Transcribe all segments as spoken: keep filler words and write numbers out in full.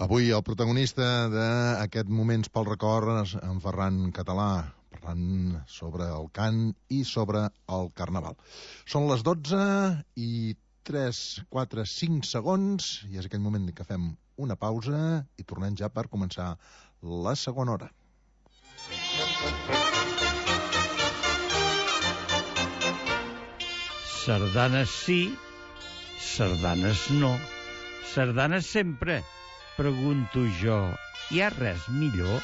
Avui el protagonista d'aquest Moments pel Record, en Ferran Català, parlant sobre el cant i sobre el carnaval. Són les dotze i tres, quatre, cinc segons i és aquell moment que fem una pausa i tornem ja per començar la segona hora. Sardanes sí, sardanes no. Sardanes sempre, pregunto jo. Hi ha res millor?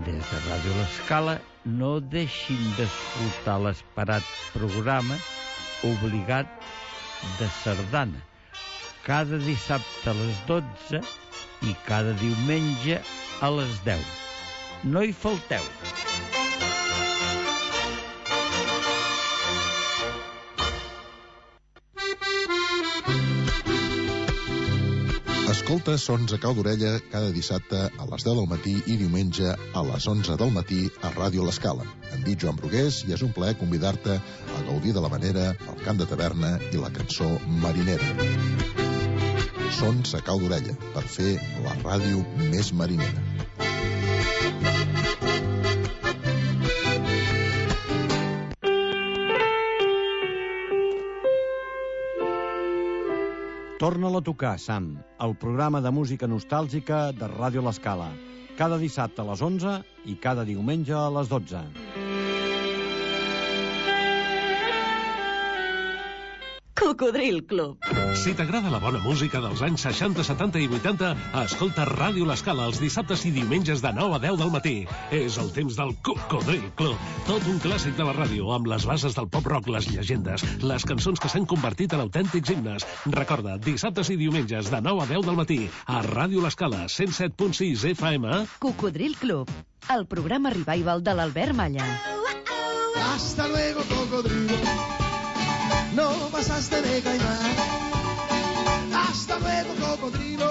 Des de Ràdio L'Escala no deixin d'escoltar l'esperat programa Obligat de Sardana, cada dissabte a les dotze i cada diumenge a les deu. No hi falteu. Escolta Sons a cau d'orella cada dissabte a les deu del matí i diumenge a les onze del matí a Ràdio L'Escala. Em dic Joan Brugués i és un plaer convidar-te a gaudir de la manera, el cant de taverna i la cançó marinera. Sons a cau d'orella, per fer la ràdio més marinera. Torna-la a tocar, Sam, el programa de música nostàlgica de Ràdio L'Escala. Cada dissabte a les onze i cada diumenge a les dotze. Cocodril Club. Si t'agrada la bona música dels anys seixanta, setanta i vuitanta, escolta Ràdio L'Escala els dissabtes i diumenges de nou a deu del matí. És el temps del Cocodril Club. Tot un clàssic de la ràdio, amb les bases del pop-rock, les llegendes, les cançons que s'han convertit en autèntics himnes. Recorda, dissabtes i diumenges de nou a deu del matí, a Ràdio L'Escala, cent set punt sis F M. Cocodril Club, el programa revival de l'Albert Malla. Hasta luego, cocodrilo. No pasaste de caimán. Hasta luego, cocodrilo.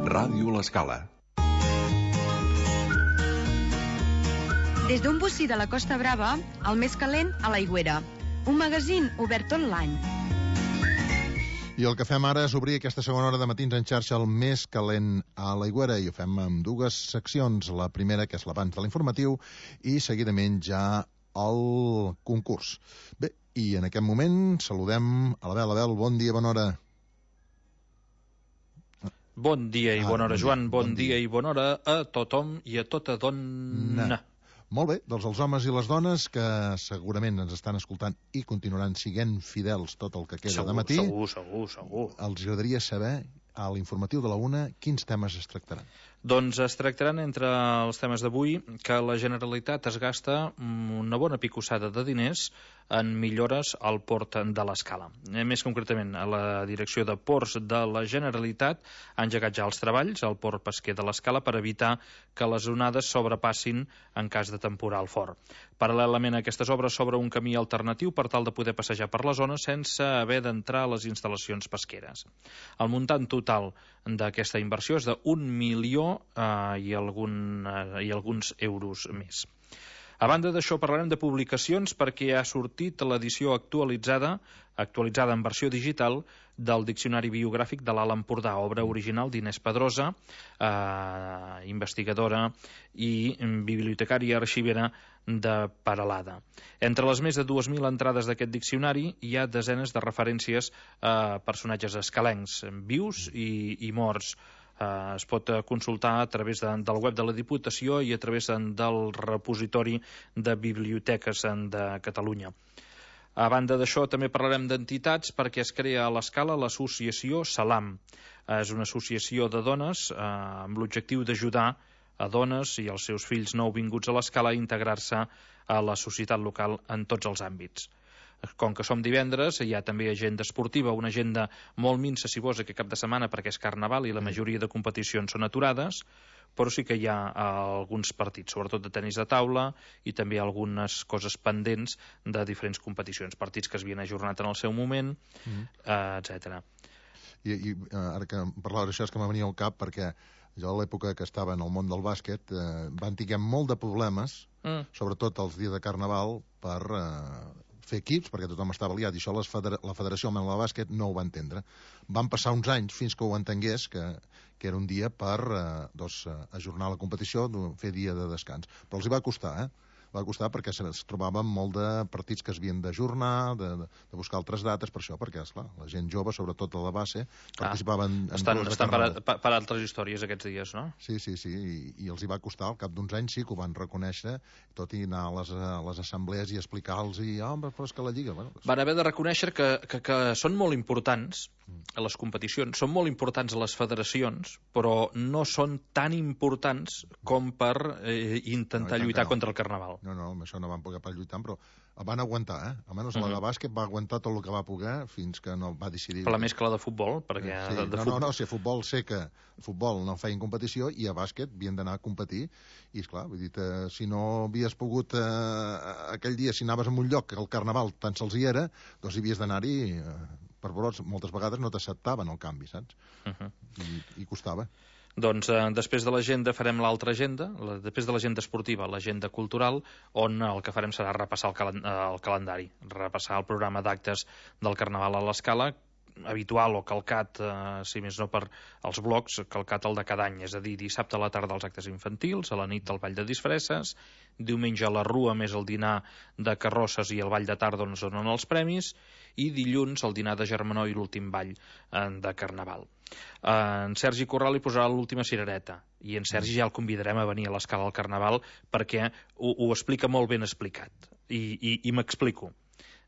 Ràdio L'Escala. Des d'un bocí de la Costa Brava, el més calent a l'Aigüera. Un magazín obert tot l'any. I el que fem ara és obrir aquesta segona hora de matins en xarxa el més calent a l'Aigüera i ho fem amb dues seccions. La primera, que és l'abans de l'informatiu, i seguidament ja el concurs. Bé, i en aquest moment saludem a l'Abel. Abel, bon dia, bona hora. Bon dia i bona hora, Joan. Bon, bon dia. dia i bona hora a tothom i a tota dona. Na. Molt bé, doncs els homes i les dones que segurament ens estan escoltant i continuaran siguent fidels tot el que queda segur, de matí. Segur, segur, segur. Els agradaria saber, a l'informatiu de la una, quins temes es tractaran. Doncs es tractaran entre els temes d'avui que la Generalitat es gasta una bona picossada de diners en millores al port de l'Escala. Més concretament, a la direcció de ports de la Generalitat ha engegat ja els treballs al port pesquer de l'Escala per evitar que les onades sobrepassin en cas de temporal fort. Paral·lelament a aquestes obres s'obre un camí alternatiu per tal de poder passejar per la zona sense haver d'entrar a les instal·lacions pesqueres. El muntant total d'aquesta inversió és d'un milió eh, i, algun, eh, i alguns euros més. A banda d'això parlarem de publicacions perquè ha sortit l'edició actualitzada, actualitzada en versió digital del Diccionari Biogràfic de l'Alt Empordà, obra original d'Inés Pedrosa, eh, investigadora i bibliotecària arxivera de Peralada. Entre les més de dues mil entrades d'aquest diccionari hi ha desenes de referències a personatges escalencs, vius i, i morts. Uh, es pot consultar a través de, del web de la Diputació i a través de, del repositori de biblioteques de Catalunya. A banda d'això, també parlarem d'entitats perquè es crea a l'Escala l'associació Salam. Uh, és una associació de dones uh, amb l'objectiu d'ajudar a dones i els seus fills nouvinguts a l'Escala a integrar-se a la societat local en tots els àmbits. Com que som divendres, hi ha també agenda esportiva, una agenda molt minsa, si vols, aquest cap de setmana, perquè és Carnaval i la majoria de competicions són aturades, però sí que hi ha alguns partits, sobretot de tenis de taula, i també algunes coses pendents de diferents competicions, partits que es havien ajornat en el seu moment, mm. eh, etcètera. I, i ara que parlava d'això és que m'ha venia al cap, perquè jo a l'època que estava en el món del bàsquet eh, van tinguem molt de problemes, mm. sobretot els dies de Carnaval, per eh, fer equips, perquè tothom estava liat, i això les federa la Federació Alemanya de Bàsquet no ho va entendre. Van passar uns anys fins que ho entengués, que, que era un dia per eh, doncs, ajornar la competició, fer dia de descans. Però els hi va costar, eh? Va costar perquè es trobaven molt de partits que es havien d'ajornar, de, de, de buscar altres dates per això, perquè, esclar, la gent jove, sobretot a la base, participaven ah, en estan, de estan per, a, per altres històries aquests dies, no? Sí, sí, sí, i, i els hi va costar, al cap d'uns anys sí que ho van reconèixer, tot i anar a les, a les assemblees i explicar-los, i, ah, oh, però és que la Lliga... Bueno, doncs... Van haver de reconèixer que, que, que són molt importants a les competicions, són molt importants a les federacions, però no són tan importants com per eh, intentar no, lluitar no. contra el Carnaval. No, no, amb això no van poder pas lluitar, però van aguantar, eh? Almenys mm-hmm. la de bàsquet va aguantar tot el que va poder fins que no va decidir... Però la més que la de futbol, perquè... Sí, de, de no, futbol... no, no, si a futbol sé que a futbol no feien competició i a bàsquet havien d'anar a competir i, esclar, vull dir, eh, si no havies pogut eh, aquell dia, si anaves a un lloc que el Carnaval tan sols hi era, doncs hi havies d'anar-hi... Eh, per brots, moltes vegades no t'acceptaven el canvi, saps? Uh-huh. I, I costava. Doncs eh, després de l'agenda farem l'altra agenda, la, després de l'agenda esportiva, l'agenda cultural, on el que farem serà repassar el, calen el calendari, repassar el programa d'actes del Carnaval a l'Escala, habitual o calcat, eh, si més no per als blocs, calcat el de cada any, és a dir, dissabte a la tarda els actes infantils, a la nit el ball de disfresses, diumenge a la Rua més el dinar de carrosses i el ball de tarda on es donen els premis, i dilluns el dinar de germanor i l'últim ball eh, de Carnaval. Eh, en Sergi Corral hi posarà l'última cirereta, i en Sergi ja el convidarem a venir a l'Escala al Carnaval perquè ho, ho explica molt ben explicat, i, i, i m'explico.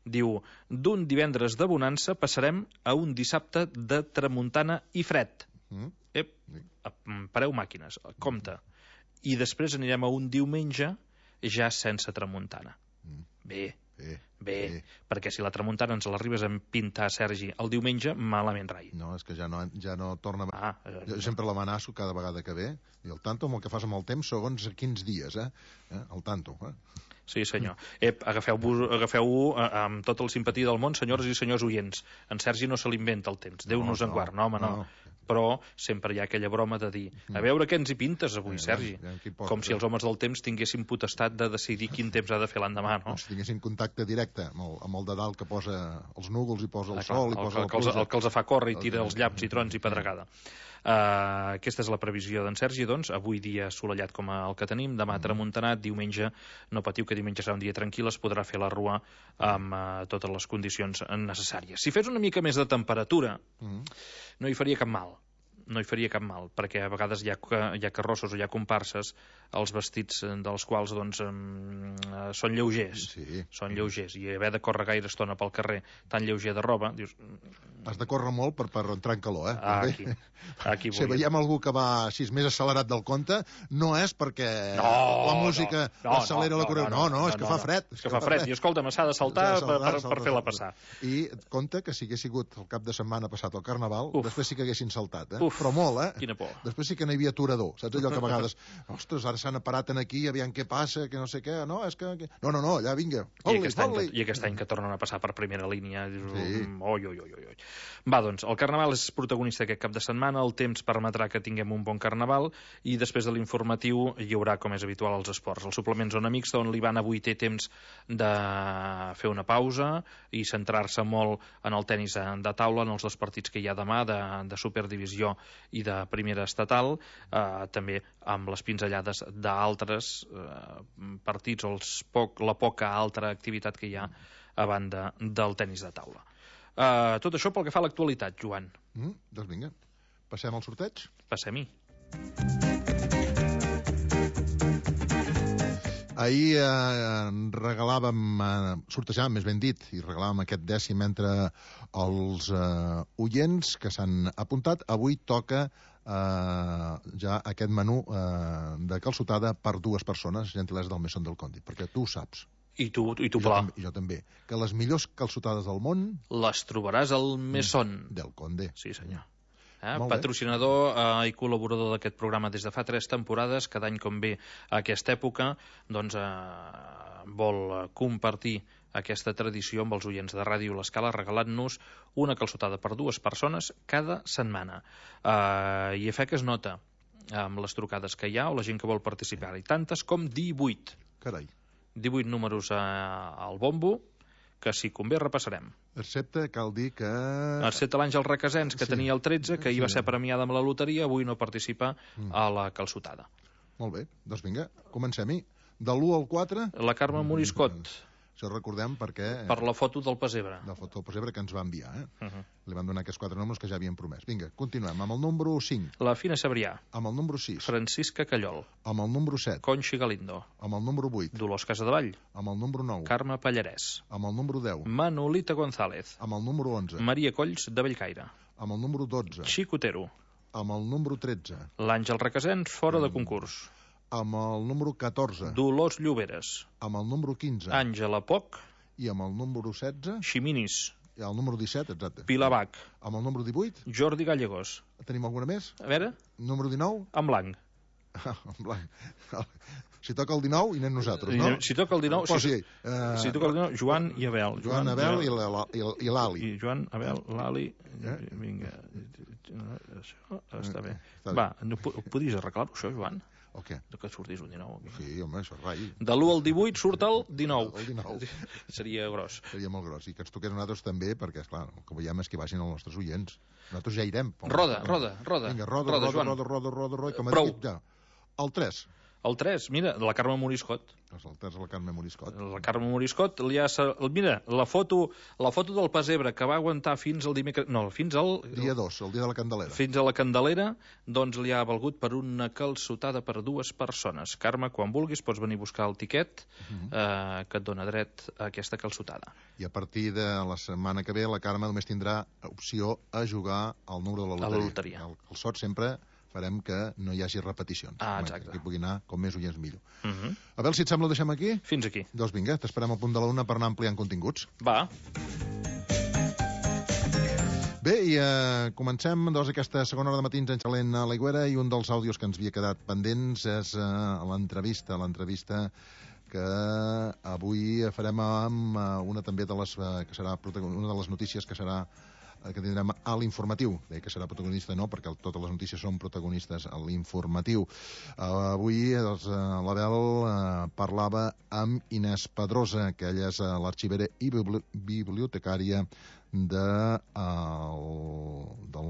Diu, d'un divendres de bonança passarem a un dissabte de tramuntana i fred. Mm. Ep, pareu màquines, compte. I després anirem a un diumenge ja sense tramuntana. Mm. Bé, bé, bé, bé, perquè si la tramuntana ens l'arribes a pintar, Sergi, el diumenge, malament rai. No, és que ja no, ja no torna... Ah, jo sempre l'amenaço cada vegada que ve, i el tanto amb el que fas amb el temps, segons quins dies, eh? eh? El tanto, eh? Sí, senyor. Ep, agafeu-ho agafeu amb tota la simpatia del món, senyores i senyors oients. En Sergi no se l'inventa el temps. Déu nos en guard. No, home, no. no. Però sempre hi ha aquella broma de dir a veure què ens hi pintes avui, Sergi. Com si els homes del temps tinguessin potestat de decidir quin temps ha de fer l'endemà, no? Si tinguessin contacte directe amb el, amb el de dalt que posa els núvols i posa el sol i posa la pluja. El que els fa córrer i tira els llaps i trons i pedregada. Uh, aquesta és la previsió d'en Sergi, doncs, avui dia assolellat com el que tenim, demà tramuntanat, diumenge, no patiu que diumenge serà un dia tranquil, es podrà fer la Rua amb uh, totes les condicions necessàries. Si fes una mica més de temperatura, mm. no hi faria cap mal. No hi faria cap mal, perquè a vegades hi ha, hi ha carrossos o hi ha comparses, els vestits dels quals doncs, um, uh, són lleugers, sí. són lleugers, i haver de córrer gaire estona pel carrer tan lleuger de roba, dius... Has de córrer molt per, per entrar en calor, eh? Ah, aquí, aquí si veiem algú que va així més accelerat del compte, no és perquè no, la música no, no, accelera no, la correu. No, no, no, no, és que no, fa fred. És que fa fred, i escolta'm, s'ha de saltar, saltar per, per, per fer-la passar. I compte que si hagués sigut el cap de setmana passat al Carnaval, Uf. després sí que haguessin saltat, eh? Uf. Però molt, eh? Quina por. Després sí que n'hi havia aturador, saps allò que a vegades, ostres, ara s'han aparat en aquí, aviam què passa, que no sé què, no, és que... No, no, no, allà vinga, I aquest, any, I aquest any que tornen a passar per primera línia, dius, sí. oi, oi, oi, oi. Va, doncs, el Carnaval és protagonista aquest cap de setmana, el temps permetrà que tinguem un bon Carnaval, i després de l'informatiu hi haurà, com és habitual, els esports. El suplement Zona Mixta, on l'Ivan avui té temps de fer una pausa i centrar-se molt en el tenis de taula, en els dos partits que hi ha demà, de, de Superdivisió i de Primera Estatal, eh, també amb les pinzellades d'altres eh, partits o els poc, la poca altra activitat que hi ha a banda del tenis de taula. Uh, tot això pel que fa a l'actualitat, Joan. Mm, doncs vinga, passem al sorteig? Passem-hi. Ahir eh, regalàvem, eh, sortejàvem, més ben dit, i regalàvem aquest dècim entre els eh, oients que s'han apuntat. Avui toca eh, ja aquest menú eh, de calçotada per dues persones, gentilesa del Mesón del Condit, perquè tu ho saps. I tu, i tu I jo, pla. tam- I jo també. Que les millors calçotades del món... Les trobaràs al Mesón. Del Conde. Sí, senyor. Eh? Molt bé. Patrocinador eh, i col·laborador d'aquest programa des de fa tres temporades. Cada any com ve a aquesta època, doncs eh, vol eh, compartir aquesta tradició amb els oients de Ràdio L'Escala, regalant-nos una calçotada per dues persones cada setmana. Eh, I a fe que es nota amb les trucades que hi ha o la gent que vol participar. I tantes com divuit. Carai. divuit números eh, al bombo, que si convé repassarem. Excepte cal dir que... Excepte l'Àngel Requesens, que Sí. tenia el tretze, que ahir va Sí. ser premiada amb la loteria, avui no participa Mm. a la calçotada. Molt bé, doncs vinga, comencem-hi. De l'u al quatre... La Carme Moriscot, Això recordem perquè... per la foto del pessebre. La foto del pessebre que ens va enviar, eh? Uh -huh. Li van donar aquests quatre números que ja havien promès. Vinga, continuem. Amb el número cinc, La Fina Sabrià, amb el número sis, Francisca Callol, amb el número set, Conxi Galindo, amb el número vuit, Dolors Casadevall, amb el número nou, Carme Pallarès, amb el número deu, Manolita González, amb el número onze, Maria Colls de Bellcaire, amb el número dotze, Xicotero, amb el número tretze, l'Àngel Requesens fora de concurs, amb el número catorze, Dolors Lloberes, amb el número quinze Àngela Poc, i amb el número setze, Ximinis, i el número disset, exacte. Pilar Bach, Amb el número divuit, Jordi Gallegos. tenim alguna més? A veure, Número dinou? en blanc. En blanc. Si toca el dinou, hi anem nosaltres, I no? anem- si toca el dinou, Posi, si- eh, Si toca el dinou, Joan i Abel. Joan Abel i la- la- i l- i l'Ali. I Joan, Abel, l'Ali... Eh? Vinga, això està bé. Està bé. Va, no, po- podies arreglar-ho, això, Joan? O què? Que sortís un dinou. Aquí. Sí, home, això és rai. De l'u al divuit surt el dinou. El dinou. Seria gros. Seria molt gros. I que ens toqués a nosaltres també, perquè, esclar, el que veiem és que vagin els nostres oients. Nosaltres ja irem. Roda, roda, roda. Vinga, roda, Roda, roda, Joan. roda, roda, roda, roda, que m'ha Prou. dit ja. El tres. El tres, mira, la Carme Moriscot. Els alters de la Carme Moriscot. La Carme Moriscot li ha... sa- Mira, la foto, la foto del pessebre que va aguantar fins al dimecres... No, fins al... Dia dos, el dia de la Candelera. Fins a la Candelera, doncs li ha valgut per una calçotada per dues persones. Carme, quan vulguis, pots venir a buscar el tiquet eh, que et dona dret a aquesta calçotada. I a partir de la setmana que ve, la Carme només tindrà opció a jugar al número de la A loteria. la loteria. El, el sort sempre farem que no hi hagi repeticions. Ah, Home, exacte. Que pugui anar com més oients millor. Uh -huh. A veure si et sembla, ho deixem aquí? Fins aquí. Doncs vinga, t'esperem al punt de la una per anar ampliant continguts. Va. Bé, i eh, comencem doncs, aquesta segona hora de matins enxalent a l'Aigüera, i un dels àudios que ens havia quedat pendents és eh, l'entrevista, l'entrevista que avui farem amb eh, una també de les, eh, que serà protagon- una de les notícies que serà eh, que tindrem a l'informatiu. Deia que serà protagonista, no, perquè el, totes les notícies són protagonistes a l'informatiu. Uh, avui doncs, uh, l'Abel uh, parlava amb Inés Pedrosa, que ella és uh, l'arxivera i bibli bibliotecària de, uh, del,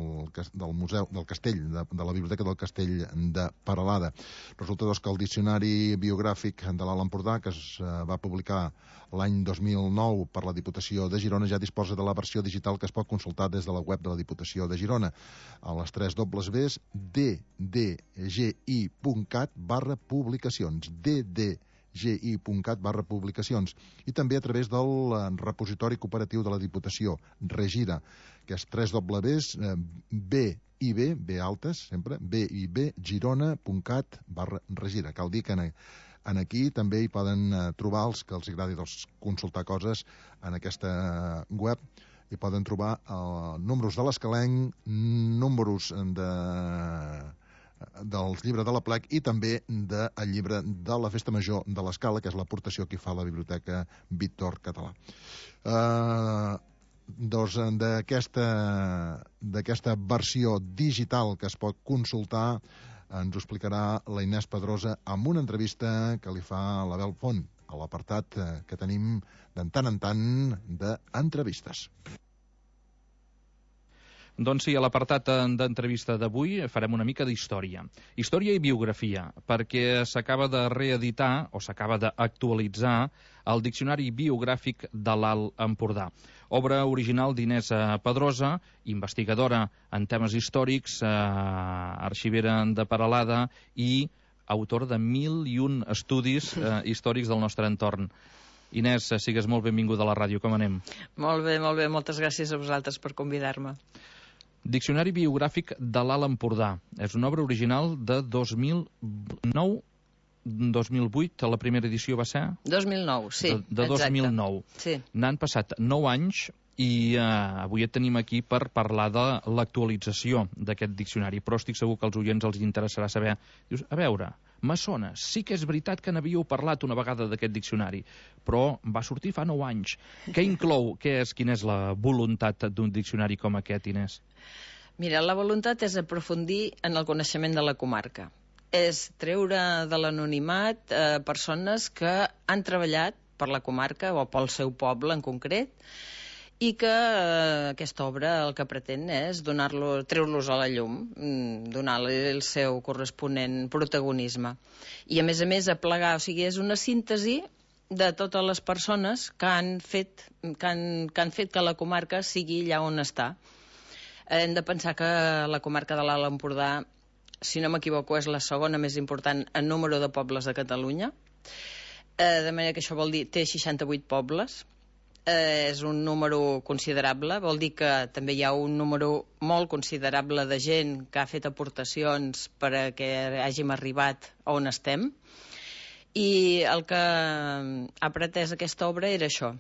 del museu del Castell, de, de la Biblioteca del Castell de Peralada. Resulta doncs, que el diccionari biogràfic de l'Alt Empordà, que es uh, va publicar l'any dos mil nou per la Diputació de Girona, ja disposa de la versió digital que es pot consultar des de la web de la Diputació de Girona a les tres dobles ves d d g i punt cat barra publicacions d d g i punt cat barra publicacions, i també a través del eh, repositori cooperatiu de la Diputació, Regira, que és tres dobles eh, b i b, b altes sempre, b i b, girona punt cat barra regira. Cal dir que en, en aquí també hi poden eh, trobar els que els agradi doncs, consultar coses en aquesta web. Hi poden trobar eh, números de l'Escalenc, números de dels llibres de l'Aplec i també del llibre de la Festa Major de l'Escala, que és l'aportació que fa la Biblioteca Víctor Català. Uh, doncs d'aquesta d'aquesta versió digital que es pot consultar ens ho explicarà la Inés Pedrosa amb una entrevista que li fa l'Abel Font a l'apartat que tenim de tant en tant d'entrevistes. Doncs sí, a l'apartat d'entrevista d'avui farem una mica d'història. Història i biografia, perquè s'acaba de reeditar o s'acaba d'actualitzar el Diccionari Biogràfic de l'Alt Empordà. Obra original d'Inés Pedrosa, investigadora en temes històrics, eh, arxivera de Peralada i autora de mil i un estudis eh, històrics del nostre entorn. Inés, sigues molt benvinguda a la ràdio, com anem? Molt bé, molt bé, moltes gràcies a vosaltres per convidar-me. Diccionari biogràfic de l'Alt Empordà. És una obra original de dos mil nou, dos mil vuit, la primera edició va ser? dos mil nou, sí. De, de dos mil nou. Sí. N'han passat nou anys i eh, avui et tenim aquí per parlar de l'actualització d'aquest diccionari, però estic segur que als oients els interessarà saber. Dius, a veure, maçones, sí que és veritat que n'havíeu parlat una vegada d'aquest diccionari, però va sortir fa nou anys. Què inclou? Què és, quina és la voluntat d'un diccionari com aquest, Inés? Mira, la voluntat és aprofundir en el coneixement de la comarca. És treure de l'anonimat eh, persones que han treballat per la comarca o pel seu poble en concret, i que eh, aquesta obra el que pretén és donar-lo, treure-los a la llum, donar-li el seu corresponent protagonisme. I a més a més aplegar, o sigui, és una síntesi de totes les persones que han fet que han, que han fet que la comarca sigui allà on està. Hem de pensar que la comarca de l'Alt Empordà, si no m'equivoco, és la segona més important en número de pobles de Catalunya, eh, de manera que això vol dir té seixanta-vuit pobles. Eh, és un número considerable, vol dir que també hi ha un número molt considerable de gent que ha fet aportacions perquè hàgim arribat on estem, i el que ha pretès aquesta obra era això,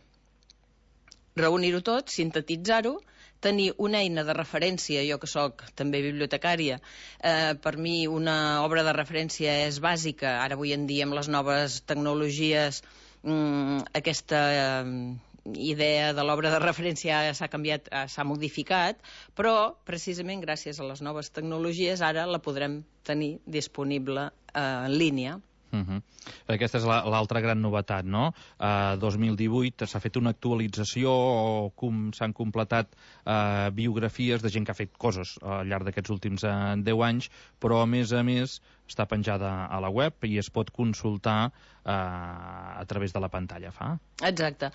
reunir-ho tot, sintetitzar-ho, tenir una eina de referència. Jo que sóc també bibliotecària, eh, per mi una obra de referència és bàsica. Ara avui en dia amb les noves tecnologies mmm, aquesta eh, idea de l'obra de referència s'ha canviat, s'ha modificat, però precisament gràcies a les noves tecnologies ara la podrem tenir disponible eh, en línia. Uh -huh. Aquesta és l'altra gran novetat, no? Uh, dos mil divuit s'ha fet una actualització o com s'han completat uh, biografies de gent que ha fet coses al llarg d'aquests últims uh, deu anys, però a més a més està penjada a la web i es pot consultar uh, a través de la pantalla, fa? Exacte.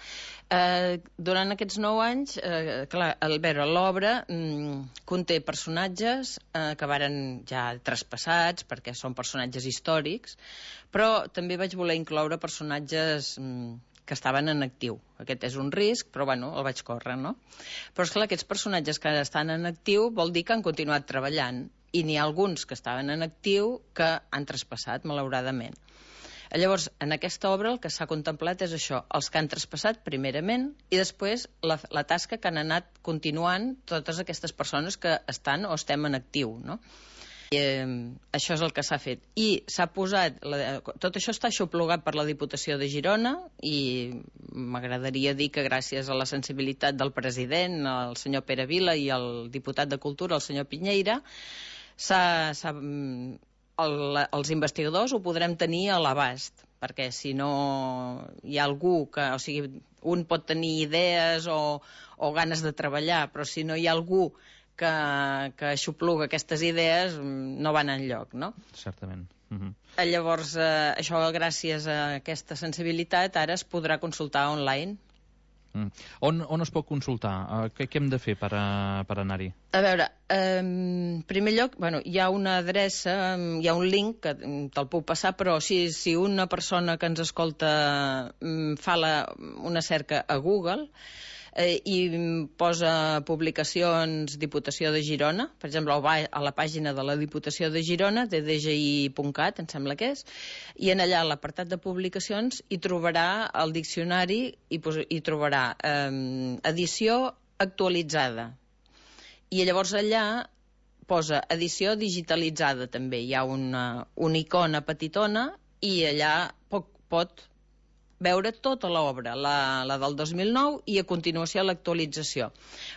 Uh, durant aquests nou anys, uh, clar, al veure l'obra um, conté personatges uh, que varen ja traspassats perquè són personatges històrics, però també vaig voler incloure personatges um, que estaven en actiu. Aquest és un risc, però bueno, el vaig córrer, no? Però esclar, aquests personatges que estan en actiu vol dir que han continuat treballant, i n'hi ha alguns que estaven en actiu que han traspassat, malauradament. Llavors, en aquesta obra el que s'ha contemplat és això, els que han traspassat primerament i després la, la tasca que han anat continuant totes aquestes persones que estan o estem en actiu, no? I, eh, això és el que s'ha fet. I s'ha posat, la, tot això està aixoplugat per la Diputació de Girona i m'agradaria dir que gràcies a la sensibilitat del president, el senyor Pere Vila, i el diputat de Cultura, el senyor Pinyeira, s'ha... El, els investigadors ho podrem tenir a l'abast, perquè si no hi ha algú que, o sigui, un pot tenir idees o, o ganes de treballar, però si no hi ha algú que, que aixopluga aquestes idees, no van enlloc, no? Certament. Uh-huh. Llavors, eh, això gràcies a aquesta sensibilitat ara es podrà consultar online. Mm. On, on es pot consultar? Uh, què, què hem de fer per, a, per anar-hi? A veure, eh, en primer lloc, bueno, hi ha una adreça, hi ha un link que te'l puc passar, però si, si una persona que ens escolta fa la, una cerca a Google eh, i posa publicacions Diputació de Girona, per exemple, va a la pàgina de la Diputació de Girona, d d g i punt cat, em sembla que és, i en allà a l'apartat de publicacions hi trobarà el diccionari i hi trobarà eh, edició actualitzada. I llavors allà posa edició digitalitzada també. Hi ha una, una icona petitona i allà pot, pot veure tota l'obra, la, la del dos mil nou i a continuació l'actualització.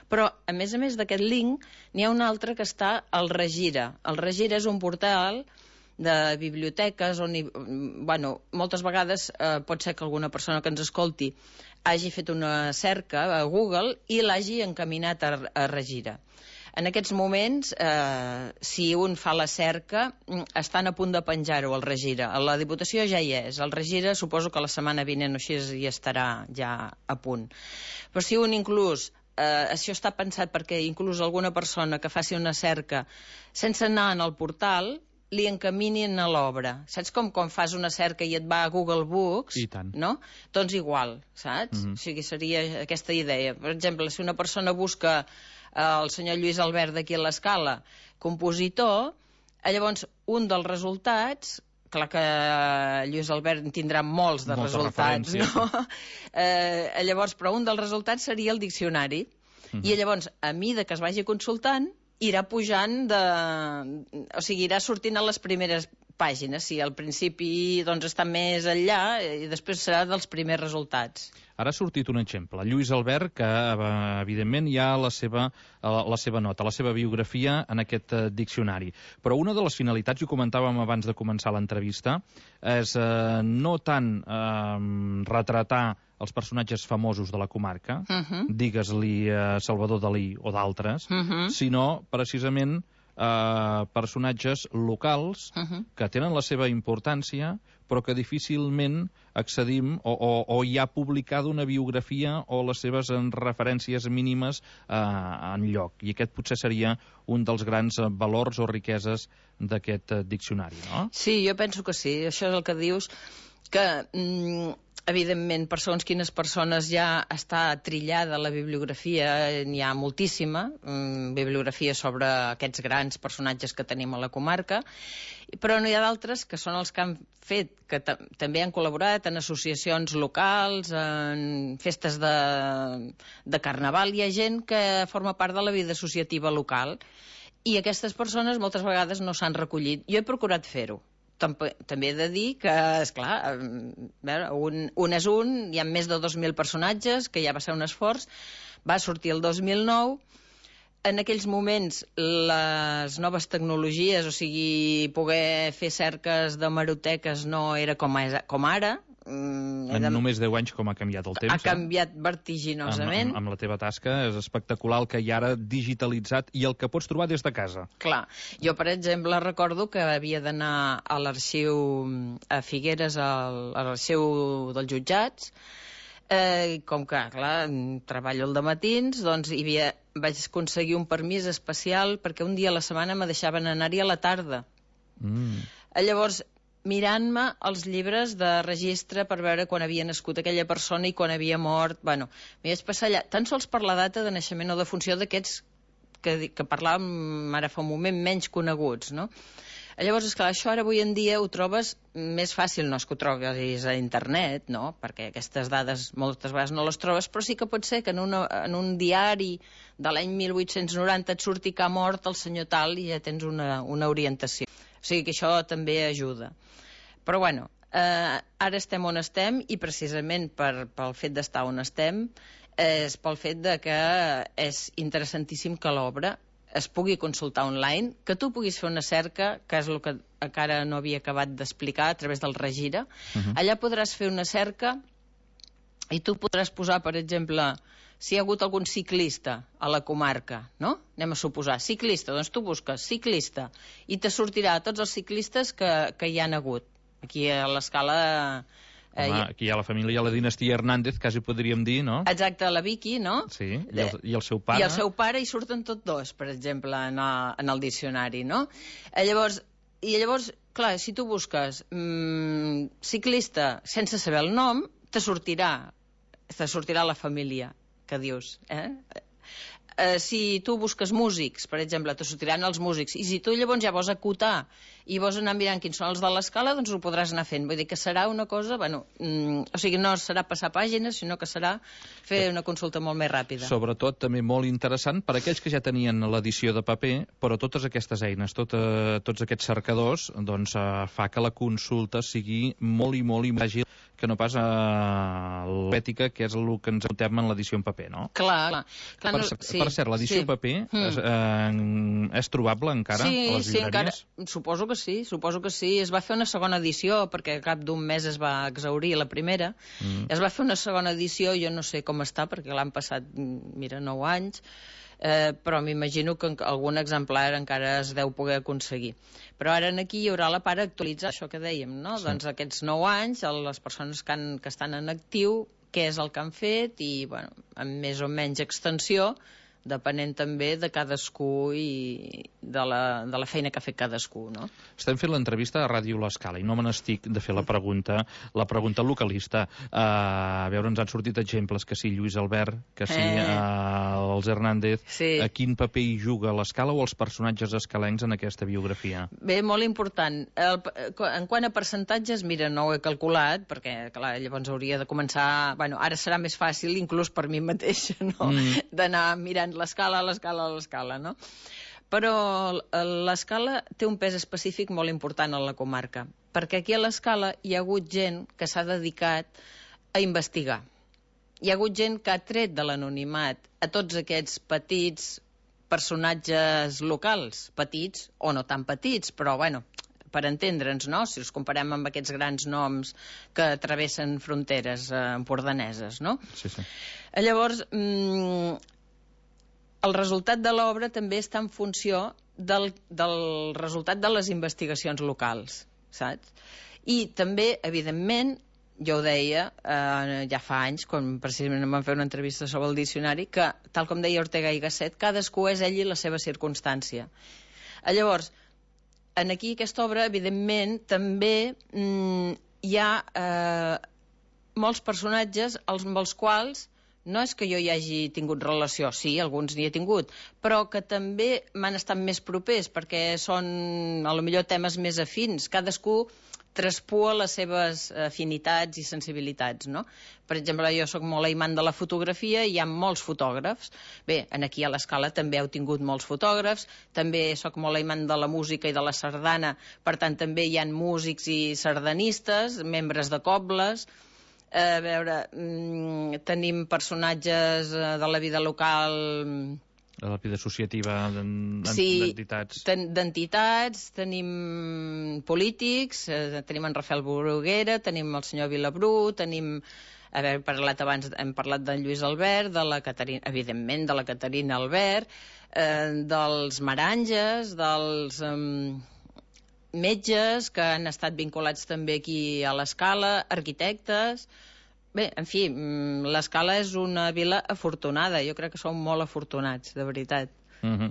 Però, a més a més d'aquest link, n'hi ha un altre que està al Regira. El Regira és un portal de biblioteques on, hi, bueno, moltes vegades eh, pot ser que alguna persona que ens escolti hagi fet una cerca a Google i l'hagi encaminat a, a Regira. En aquests moments, eh, si un fa la cerca, estan a punt de penjar-ho al Regira. A la Diputació ja hi és. El Regira suposo que la setmana vinent o així hi estarà ja a punt. Però si un inclús, eh, això està pensat perquè inclús alguna persona que faci una cerca sense anar en el portal, li encaminin a l'obra. Saps com quan fas una cerca i et va a Google Books? I tant. No? Doncs igual, saps? Mm-hmm. O sigui, seria aquesta idea. Per exemple, si una persona busca el senyor Lluís Albert d'aquí a l'Escala, compositor, llavors un dels resultats clar que Lluís Albert en tindrà molts de Moltes resultats, referències. no? Eh, llavors, però un dels resultats seria el diccionari. Uh-huh. I llavors, a mida que es vagi consultant, irà pujant de... O sigui, irà sortint a les primeres pàgines. Si al principi doncs, està més enllà, i després serà dels primers resultats. Ara ha sortit un exemple. Lluís Albert, que evidentment hi ha la seva, la seva nota, la seva biografia en aquest diccionari. Però una de les finalitats, i ho comentàvem abans de començar l'entrevista, és eh, no tant eh, retratar els personatges famosos de la comarca, uh-huh. digues-li eh, Salvador Dalí o d'altres, uh-huh. sinó precisament eh, personatges locals uh-huh. que tenen la seva importància, però que difícilment accedim o, o, o hi ha publicada una biografia o les seves referències mínimes eh, en lloc. I aquest potser seria un dels grans valors o riqueses d'aquest diccionari, no? Sí, jo penso que sí. Això és el que dius, que... Mm, evidentment, per segons quines persones ja està trillada la bibliografia, n'hi ha moltíssima, mm, bibliografia sobre aquests grans personatges que tenim a la comarca, però n'hi ha d'altres que són els que han fet, que també han col·laborat en associacions locals, en festes de, de carnaval. Hi ha gent que forma part de la vida associativa local i aquestes persones moltes vegades no s'han recollit. Jo he procurat fer-ho. També he de dir que, esclar, un, un és un, hi ha més de dos mil personatges, que ja va ser un esforç, va sortir el dos mil nou. En aquells moments, les noves tecnologies, o sigui, poder fer cerques d'hemeroteques no era com, com ara. Mm, en de... només deu anys com ha canviat el temps. Ha canviat eh? vertiginosament. Amb, amb, amb la teva tasca és espectacular el que hi ha ara digitalitzat i el que pots trobar des de casa. Clar. Jo, per exemple, recordo que havia d'anar a l'arxiu a Figueres, al, a l'arxiu dels jutjats, eh, com que, clar, treballo al dematins, doncs hi havia, vaig aconseguir un permís especial perquè un dia a la setmana me deixaven anar-hi a la tarda. Mm. Llavors, mirant-me els llibres de registre per veure quan havia nascut aquella persona i quan havia mort. Bueno, m'hi vaig passar allà, tan sols per la data de naixement o de funció d'aquests que, que parlàvem ara fa un moment, menys coneguts, no? Llavors, esclar, això ara avui en dia ho trobes més fàcil, no és que ho trobis a internet, no? Perquè aquestes dades moltes vegades no les trobes, però sí que pot ser que en, una, en un diari de l'any mil vuit-cents noranta et surti que ha mort el senyor tal i ja tens una, una orientació. O sigui que això també ajuda. Però bueno, eh, ara estem on estem i precisament per, pel fet d'estar on estem és pel fet de que és interessantíssim que l'obra es pugui consultar online, que tu puguis fer una cerca, que és el que encara no havia acabat d'explicar a través del Regira. Uh-huh. Allà podràs fer una cerca i tu podràs posar, per exemple, si hi ha hagut algun ciclista a la comarca, no? Anem a suposar, ciclista, doncs tu busques ciclista i te sortirà tots els ciclistes que, que hi han hagut. Aquí a l'Escala... Eh, Home, aquí hi ha la família, la dinastia Hernández, quasi podríem dir, no? Exacte, la Vicky, no? Sí, i el, i el seu pare. I el seu pare, i surten tots dos, per exemple, en el, en el diccionari, no? Eh, llavors, i llavors, clar, si tu busques mmm, ciclista sense saber el nom, te sortirà, te sortirà la família que dius, eh? Eh, si tu busques músics, per exemple, te sortiran els músics, i si tu llavors ja vols acotar i vols anar mirant quins són els de l'Escala, doncs ho podràs anar fent. Vull dir que serà una cosa, bueno, mm, o sigui, no serà passar pàgines, sinó que serà fer una consulta molt més ràpida. Sobretot, també molt interessant per a aquells que ja tenien l'edició de paper, però totes aquestes eines, tot, eh, tots aquests cercadors, doncs eh, fa que la consulta sigui molt i molt i àgil que no pas a l'ètica, que és el que ens apuntem en l'edició en paper, no? Clar, clar. clar per, no, sí, per cert, l'edició sí. en paper mm. és, eh, és trobable encara sí, a les sí, llibreries? Encara, suposo que sí, suposo que sí. Es va fer una segona edició, perquè al cap d'un mes es va exhaurir la primera. Mm. Es va fer una segona edició, jo no sé com està, perquè l'han passat, mira, nou anys, eh, però m'imagino que algun exemplar encara es deu poder aconseguir. Però ara aquí hi haurà la part actualitzar, això que dèiem, no? Sí. Doncs aquests nou anys, les persones que, han, que estan en actiu, què és el que han fet i, bueno, amb més o menys extensió, depenent també de cadascú i de la, de la feina que ha fet cadascú, no? Estem fent l'entrevista a Ràdio l'Escala i no me n'estic de fer la pregunta, la pregunta localista. Uh, a veure, ens han sortit exemples, que sí Lluís Albert, que sí eh. uh, els Hernández, Sí. a quin paper hi juga l'Escala o els personatges escalencs en aquesta biografia? Bé, molt important. El, en quant a percentatges, mira, no ho he calculat, perquè, clar, llavors hauria de començar... Bueno, ara serà més fàcil, inclús per mi mateixa, no?, mm. d'anar mirant l'escala, l'escala, l'escala, no? Però l'escala té un pes específic molt important a la comarca, perquè aquí a l'escala hi ha hagut gent que s'ha dedicat a investigar. Hi ha hagut gent que ha tret de l'anonimat a tots aquests petits personatges locals, petits o no tan petits, però, bueno, per entendre'ns, no?, si els comparem amb aquests grans noms que travessen fronteres eh, empordaneses, no? Sí, sí. Llavors, mmm, el resultat de l'obra també està en funció del, del resultat de les investigacions locals, saps? I també, evidentment, jo ho deia eh, ja fa anys, quan precisament em van fer una entrevista sobre el diccionari, que, tal com deia Ortega i Gasset, cadascú és ell i la seva circumstància. Llavors, en aquí aquesta obra, evidentment, també mm, hi ha eh, molts personatges als, amb els quals no és que jo hi hagi tingut relació, sí, alguns n'hi he tingut, però que també m'han estat més propers, perquè són, a lo millor, temes més afins. Cadascú traspua les seves afinitats i sensibilitats, no? Per exemple, jo sóc molt aimant de la fotografia i hi ha molts fotògrafs. Bé, aquí a l'Escala també heu tingut molts fotògrafs, també sóc molt aimant de la música i de la sardana, per tant també hi ha músics i sardanistes, membres de cobles. A veure, mmm, tenim personatges de la vida local... De la vida associativa d'entitats. Sí, d'entitats, tenim polítics, eh, tenim en Rafael Bruguera, tenim el senyor Vilabrú, tenim... A veure, hem parlat abans, hem parlat d'en Lluís Albert, de la Caterina, evidentment, de la Caterina Albert, eh, dels Maranges, dels... Eh, metges que han estat vinculats també aquí a l'Escala, arquitectes... Bé, en fi, l'Escala és una vila afortunada. Jo crec que som molt afortunats, de veritat. Uh-huh.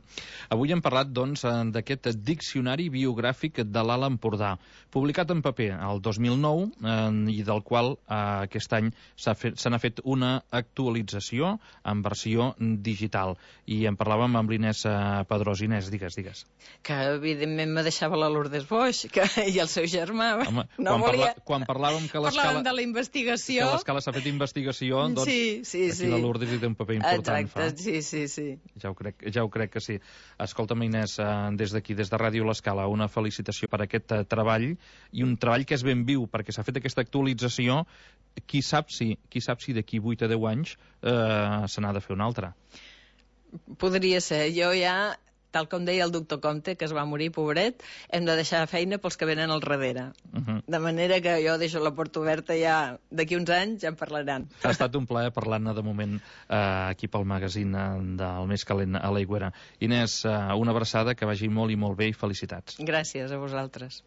Avui hem parlat, doncs, d'aquest diccionari biogràfic de l'Alt Empordà, publicat en paper el dos mil nou eh, i del qual eh, aquest any s'ha fet, se n'ha fet una actualització en versió digital. I en parlàvem amb l'Inés eh, Pedrós. Inés, digues, digues. Que, evidentment, me deixava la Lourdes Boix que, i el seu germà. Home, no quan, volia... parla, quan parlàvem que l'Escala... Parlàvem de la investigació. Que l'Escala s'ha fet investigació, doncs sí, sí, aquí sí. la Lourdes hi té un paper important. Exacte, fa. sí, sí, sí. Ja ho crec, ja ho crec que sí. Escolta'm, Inés, des d'aquí, des de Ràdio l'Escala, una felicitació per aquest treball, i un treball que és ben viu, perquè s'ha fet aquesta actualització. Qui sap si, qui sap si d'aquí vuit a deu anys eh, se n'ha de fer una altra. Podria ser. Jo ja, tal com deia el doctor Comte, que es va morir, pobret, hem de deixar feina pels que venen al darrere. Uh-huh. De manera que jo deixo la porta oberta ja, d'aquí uns anys ja en parlaran. Ha estat un plaer parlar-ne de moment eh, aquí pel magazín del Més Calent a l'Aigüera. Inés, eh, una abraçada, que vagi molt i molt bé i felicitats. Gràcies a vosaltres.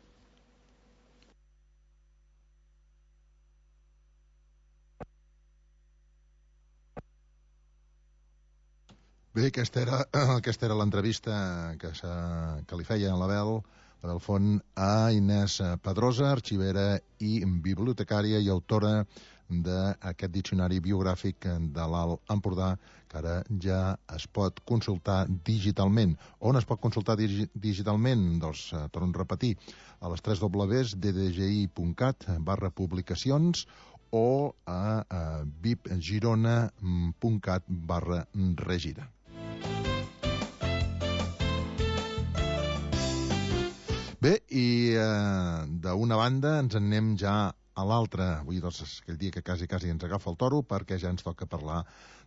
Bé, aquesta era, aquesta era l'entrevista que, que li feia l'Abel, l'Abel Font, a Inés Pedrosa, arxivera i bibliotecària i autora d'aquest diccionari biogràfic de l'Alt Empordà, que ara ja es pot consultar digitalment. On es pot consultar digi digitalment? Doncs, eh, torno a repetir, a les tres dobles de d g i punt cat barra publicacions o a, a vipgirona punt cat barra regira. Bé, i eh, d'una banda ens en anem ja a l'altra. Avui, doncs, és aquell dia que quasi, quasi ens agafa el toro, perquè ja ens toca parlar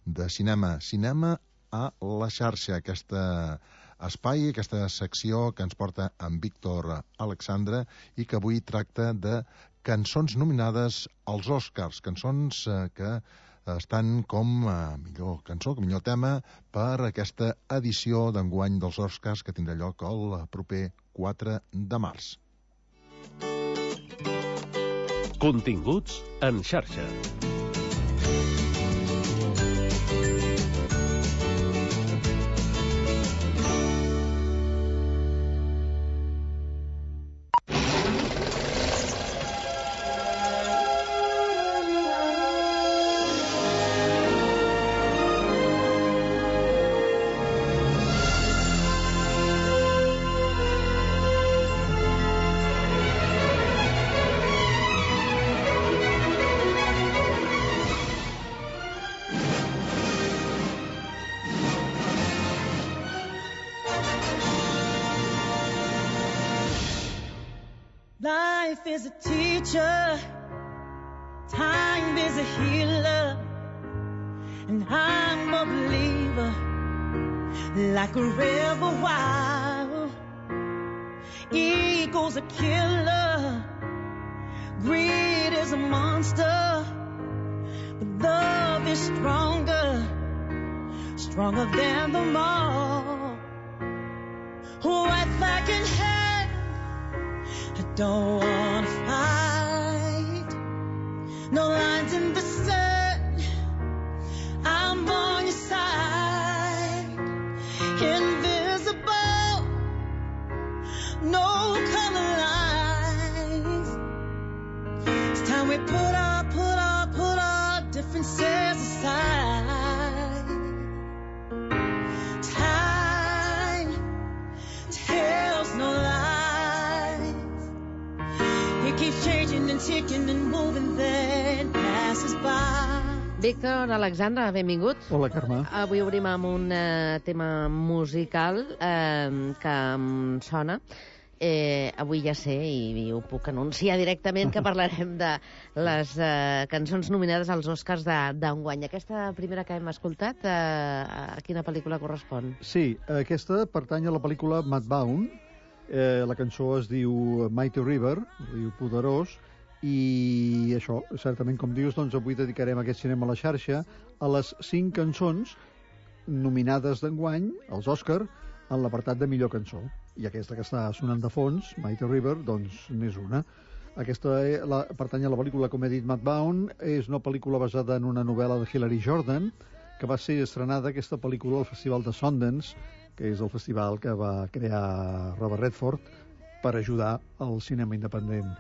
de cinema. Cinema a la xarxa, aquesta espai, aquesta secció que ens porta en Víctor Alexandre i que avui tracta de cançons nominades als Oscars, cançons eh, que estan com a millor cançó, com millor tema per aquesta edició d'enguany dels Oscars que tindrà lloc el proper quatre de març. Continguts en xarxa. Life is a teacher, time is a healer, and I'm a believer, like a river wild. Ego's a killer, greed is a monster, but love is stronger, stronger than them all. White flag in hand, I don't wanna fight. No lines in the sand, I'm on your side. Invisible, no color lines. It's time we put our, put our, put our differences aside. Time tells no lies. It keeps changing and ticking and moving, then passes by. Víctor Alexandre, benvingut. Hola, Carme. Avui obrim amb un uh, tema musical eh, que em sona. Eh, avui ja sé, i ho puc anunciar directament, que parlarem de les eh, cançons nominades als Oscars d'enguany. Aquesta primera que hem escoltat, eh, a quina pel·lícula correspon? Sí, aquesta pertany a la pel·lícula Mudbound. Eh, la cançó es diu Mighty River, riu poderós, i això, certament, com dius, doncs avui dedicarem aquest cinema a la xarxa a les cinc cançons nominades d'enguany als Oscar en l'apartat de millor cançó. I aquesta que està sonant de fons, Mighty River, doncs n'és una. Aquesta la, pertany a la pel·lícula, com he dit, Mudbound. És una pel·lícula basada en una novel·la de Hilary Jordan, que va ser estrenada aquesta pel·lícula al Festival de Sundance, que és el festival que va crear Robert Redford per ajudar al cinema independent.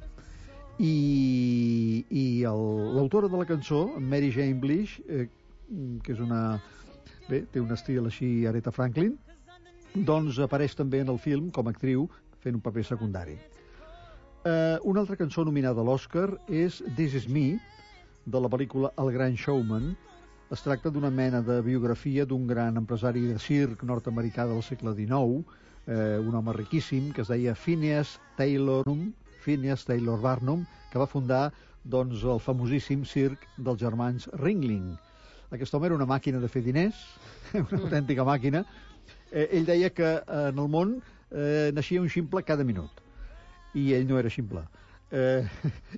I, i l'autora de la cançó, Mary Jane Blish, eh, que és una... bé, té un estil així Aretha Franklin, doncs apareix també en el film com a actriu fent un paper secundari. Eh, una altra cançó nominada a l'Oscar és This Is Me, de la pel·lícula El Gran Showman. Es tracta d'una mena de biografia d'un gran empresari de circ nord-americà del segle dinou, eh, un home riquíssim que es deia Phineas Taylor, Phineas Taylor Barnum, que va fundar doncs, el famosíssim circ dels germans Ringling. Aquest home era una màquina de fer diners, una autèntica màquina. Eh, ell deia que eh, en el món eh, naixia un ximple cada minut, i ell no era ximple. Eh,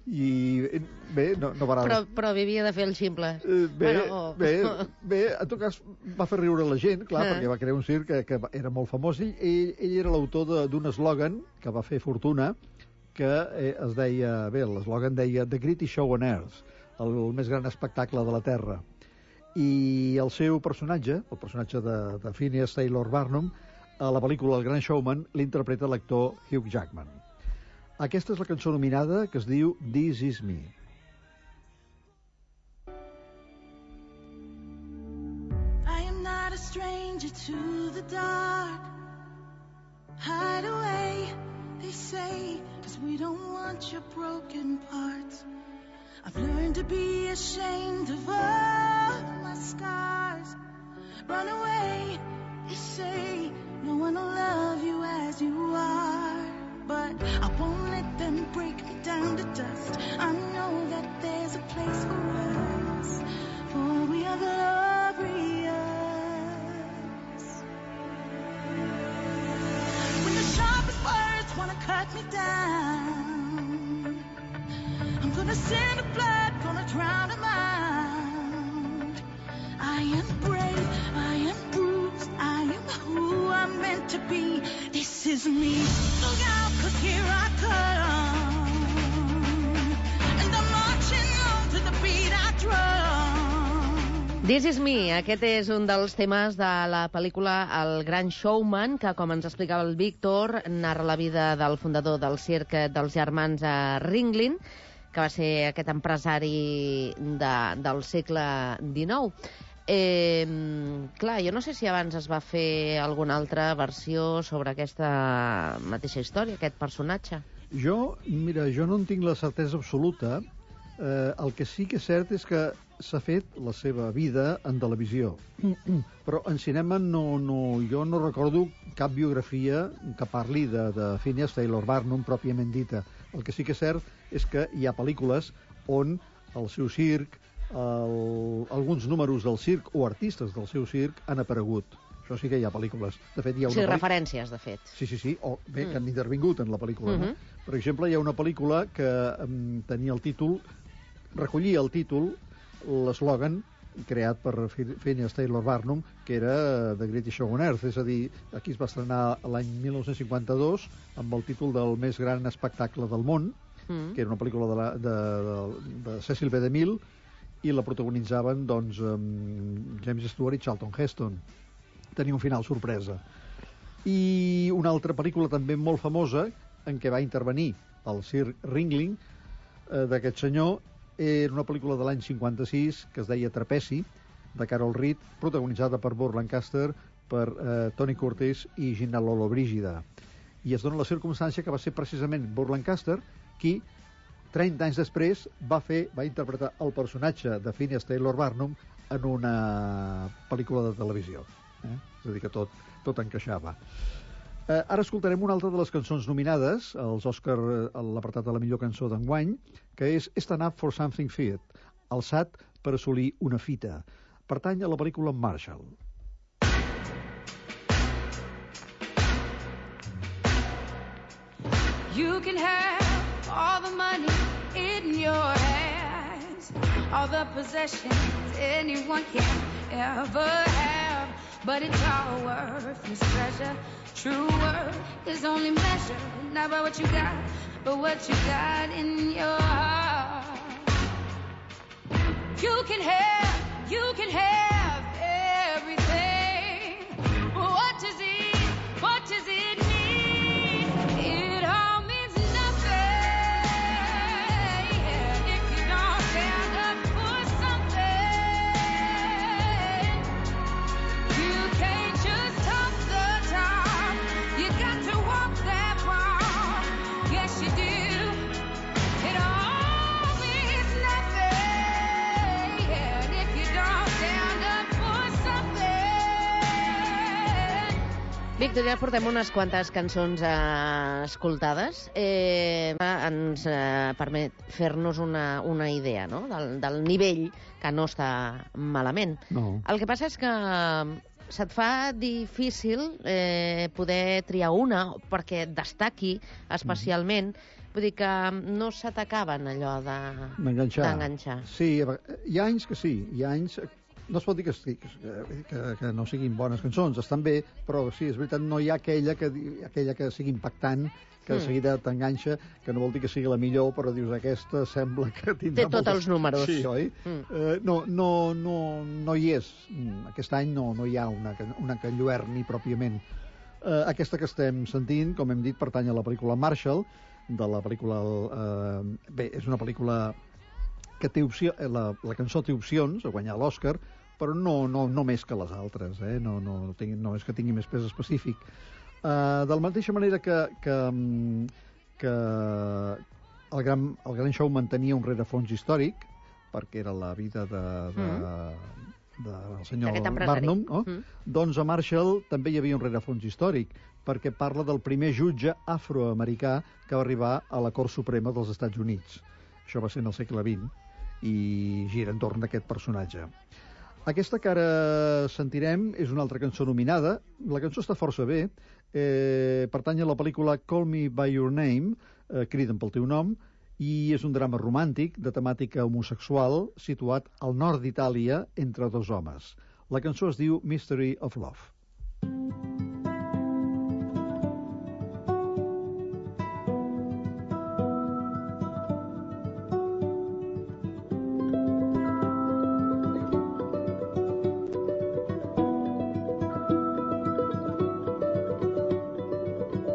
I bé, no, no parava. Però, però vivia de fer el ximple. Eh, bé, bueno, oh. bé, bé, en tot cas va fer riure la gent, clar, eh. perquè va crear un circ que, que era molt famós. Ell, ell, ell era l'autor d'un eslògan que va fer fortuna, que eh, es deia, bé, l'eslògan deia The Greatest Show on Earth, el, el més gran espectacle de la Terra. I el seu personatge, el personatge de, de Phineas Taylor Barnum, a la pel·lícula El Gran Showman, l'interpreta l'actor Hugh Jackman. Aquesta és la cançó nominada, que es diu This Is Me. I am not a stranger to the dark. Hide away, they say, 'cause we don't want your broken parts. I've learned to be ashamed of all my scars. Run away, they say, no one will love you as you are. But I won't let them break me down to dust. I know that there's a place for us, for we are glorious. When the sharpest words wanna cut me down, I'm gonna send a flood, gonna drown them out. I am brave, I am bruised, I am who I'm meant to be. This is me. Look out, 'cause here I come, and I'm marching on to the beat I drum. This Is Me, aquest és un dels temes de la pel·lícula El Gran Showman, que, com ens explicava el Víctor, narra la vida del fundador del circ dels germans Ringling, que va ser aquest empresari de, del segle dinou. Eh, clar, jo no sé si abans es va fer alguna altra versió sobre aquesta mateixa història, aquest personatge. Jo, mira, jo no en tinc la certesa absoluta. Eh, el que sí que és cert és que s'ha fet la seva vida en televisió. Però en cinema no, no, jo no recordo cap biografia que parli de, de Phineas Taylor Barnum pròpiament dita. El que sí que és cert és que hi ha pel·lícules on el seu circ, el, alguns números del circ o artistes del seu circ han aparegut. Això sí que hi ha pel·lícules. De fet, hi ha una Sí, pel·lícula... referències, de fet. Sí, sí, sí, o bé, Mm. que han intervingut en la pel·lícula. Mhm. No? Per exemple, hi ha una pel·lícula que um, tenia el títol, recollia el títol, l'eslògan, creat per Phineas Taylor Barnum, que era The Greatest Show on Earth, és a dir, aquí es va estrenar l'any mil nou-cents cinquanta-dos amb el títol del més gran espectacle del món, Mm. que era una pel·lícula de, la, de, de, de Cecil B. DeMille, i la protagonitzaven doncs, um, James Stewart i Charlton Heston. Tenia un final sorpresa. I una altra pel·lícula també molt famosa en què va intervenir el Sir Ringling eh, d'aquest senyor era una pel·lícula de l'any cinquanta-sis que es deia Trapezi, de Carol Reed, protagonitzada per Burt Lancaster, per eh, Tony Curtis i Gina Lollobrigida. I es dona la circumstància que va ser precisament Burt Lancaster qui trenta anys després va fer, va interpretar el personatge de Phineas Taylor Barnum en una pel·lícula de televisió. Eh? És a dir, que tot, tot encaixava. Eh, ara escoltarem una altra de les cançons nominades als Òscar, a l'apartat de la millor cançó d'enguany, que és Stand Up for Something Fit, alçat per assolir una fita. Pertany a la pel·lícula Marshall. You can have all the money in your hands, all the possessions anyone can ever have, but it's all worthless treasure. True worth is only measured not by what you got, but what you got in your heart. You can have, you can have everything. What does it, what does it mean? It all means nothing if you don't stand up for something. You can't just talk the talk, you got to walk that walk. Yes, you do. It all means nothing if you don't stand up for something. Víctor, ja portem unes quantes cançons eh, escoltades. Eh, ens eh, permet fer-nos una, una idea, no?, del, del nivell, que no està malament. No. El que passa és que se't fa difícil eh, poder triar una perquè destaqui especialment. Vull dir que no se t'acaben allò de... D'enganxar. d'enganxar. Sí, hi ha anys que sí, hi ha anys... No es pot dir que, que, que, que no siguin bones cançons, estan bé, però sí, és veritat, no hi ha aquella que, aquella que sigui impactant, que de Mm. seguida t'enganxa, que no vol dir que sigui la millor, però dius, aquesta sembla que tindrà... Té tots els números. Sí, oi? Mm. Eh, no, no, no, no hi és. Aquest any no, no hi ha una, una que enlluerni pròpiament. Eh, aquesta que estem sentint, com hem dit, pertany a la pel·lícula Marshall, de la pel·lícula... Eh, bé, és una pel·lícula que té opció, la, la cançó té opcions a guanyar l'Oscar, però no, no, no més que les altres, eh? no, no, no, tingui, no és que tingui més pes específic. Uh, de la mateixa manera que, que, que el, gran, el gran show mantenia un rerefons històric, perquè era la vida de, de, Mm. de, del senyor D'aquest empresari. Barnum, no? Mm. Doncs a Marshall també hi havia un rerefons històric, perquè parla del primer jutge afroamericà que va arribar a la Cort Suprema dels Estats Units. Això va ser en el segle vint, i gira entorn d'aquest personatge. Aquesta que ara sentirem és una altra cançó nominada. La cançó està força bé. Eh, pertany a la pel·lícula Call Me By Your Name, eh, Crida'm pel teu nom, i és un drama romàntic de temàtica homosexual situat al nord d'Itàlia entre dos homes. La cançó es diu Mystery of Love.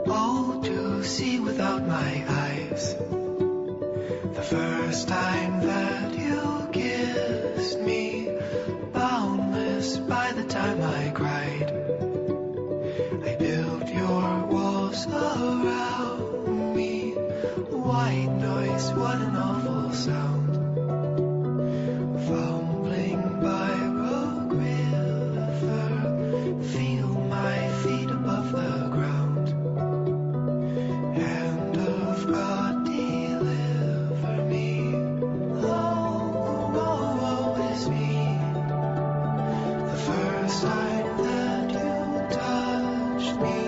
All to see without my eyes. The first time that you kissed me, boundless by the time I cried. I built your walls around me. White noise, what an awful sound. Fumbling by Rogue River, feel my feet above the ground. Hand of God, sign that you touched me.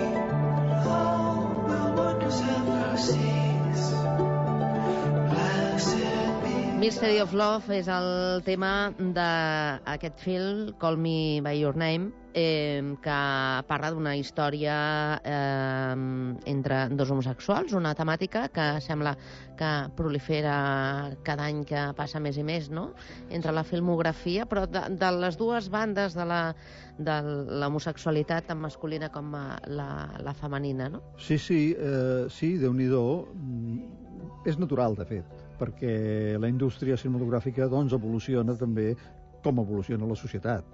Oh, will wonders ever cease? Blessed be. Mystery of Love és el tema d'aquest film, Call Me By Your Name, eh, que parla d'una història eh, entre dos homosexuals, una temàtica que sembla que prolifera cada any que passa més i més, no?, entre la filmografia, però de, de les dues bandes de la de l'homosexualitat, tant masculina com la, la femenina, no? Sí, sí, eh, sí, Déu-n'hi-do. És natural, de fet, perquè la indústria cinematogràfica doncs, evoluciona també com evoluciona la societat.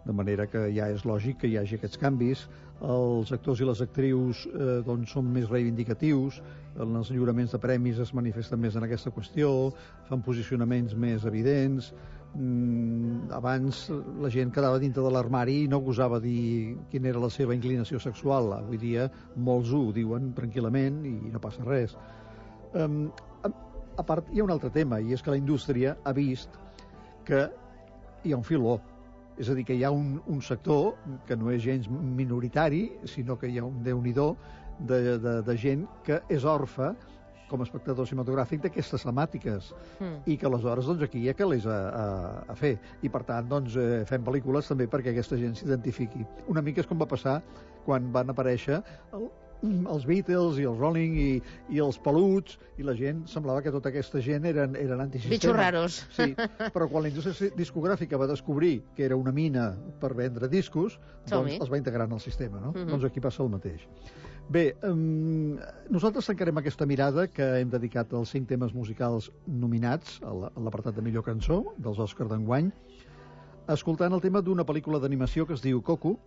De manera que ja és lògic que hi hagi aquests canvis. Els actors i les actrius eh, doncs, són més reivindicatius, en els lliuraments de premis es manifesten més en aquesta qüestió, fan posicionaments més evidents. Mm, abans la gent quedava dintre de l'armari i no gosava dir quina era la seva inclinació sexual. Avui dia molts ho diuen tranquil·lament i no passa res. Um, a, a part, hi ha un altre tema, i és que la indústria ha vist que hi ha un filó. És a dir, que hi ha un, un sector que no és gens minoritari, sinó que hi ha un déu-n'hi-do de, de, de gent que és orfe, com a espectador cinematogràfic, d'aquestes temàtiques. Mm. I que aleshores doncs, aquí hi ha que les a, a, a fer. I per tant doncs, eh, fem pel·lícules també perquè aquesta gent s'identifiqui. Una mica és com va passar quan van aparèixer el, els Beatles i els Rolling i, i els Peluts, i la gent semblava que tota aquesta gent eren, eren antisistema. Bitxos raros. Sí, però quan la indústria discogràfica va descobrir que era una mina per vendre discos, doncs els va integrar en el sistema, no? Mm-hmm. Doncs aquí passa el mateix. Bé, um, nosaltres tancarem aquesta mirada que hem dedicat als cinc temes musicals nominats a l'apartat de millor cançó dels Òscar d'enguany, escoltant el tema d'una pel·lícula d'animació que es diu Coco.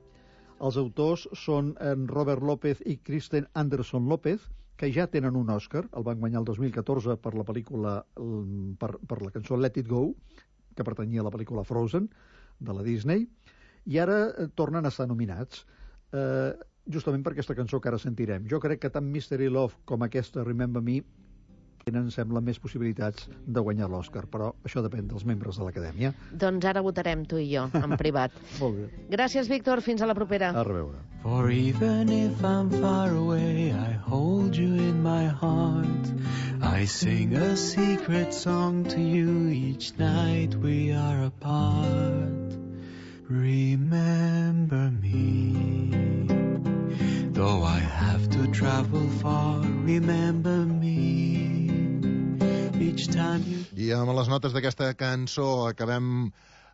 Els autors són en Robert López i Kristen Anderson López, que ja tenen un Òscar. El van guanyar el dos mil catorze per la pel·lícula, per, per la cançó Let It Go, que pertanyia a la pel·lícula Frozen, de la Disney, i ara eh, tornen a estar nominats. Eh, justament per aquesta cançó que ara sentirem. Jo crec que tant Mystery Love com aquesta Remember Me tenen, sembla, més possibilitats de guanyar l'Òscar, però això depèn dels membres de l'Acadèmia. Doncs ara votarem tu i jo, en privat. Molt bé. Gràcies, Víctor. Fins a la propera. A reveure. For even if I'm far away, I hold you in my heart. I sing a secret song to you each night we are apart. Remember me. Though I have to travel far, remember me. Each time you... I amb les notes d'aquesta cançó acabem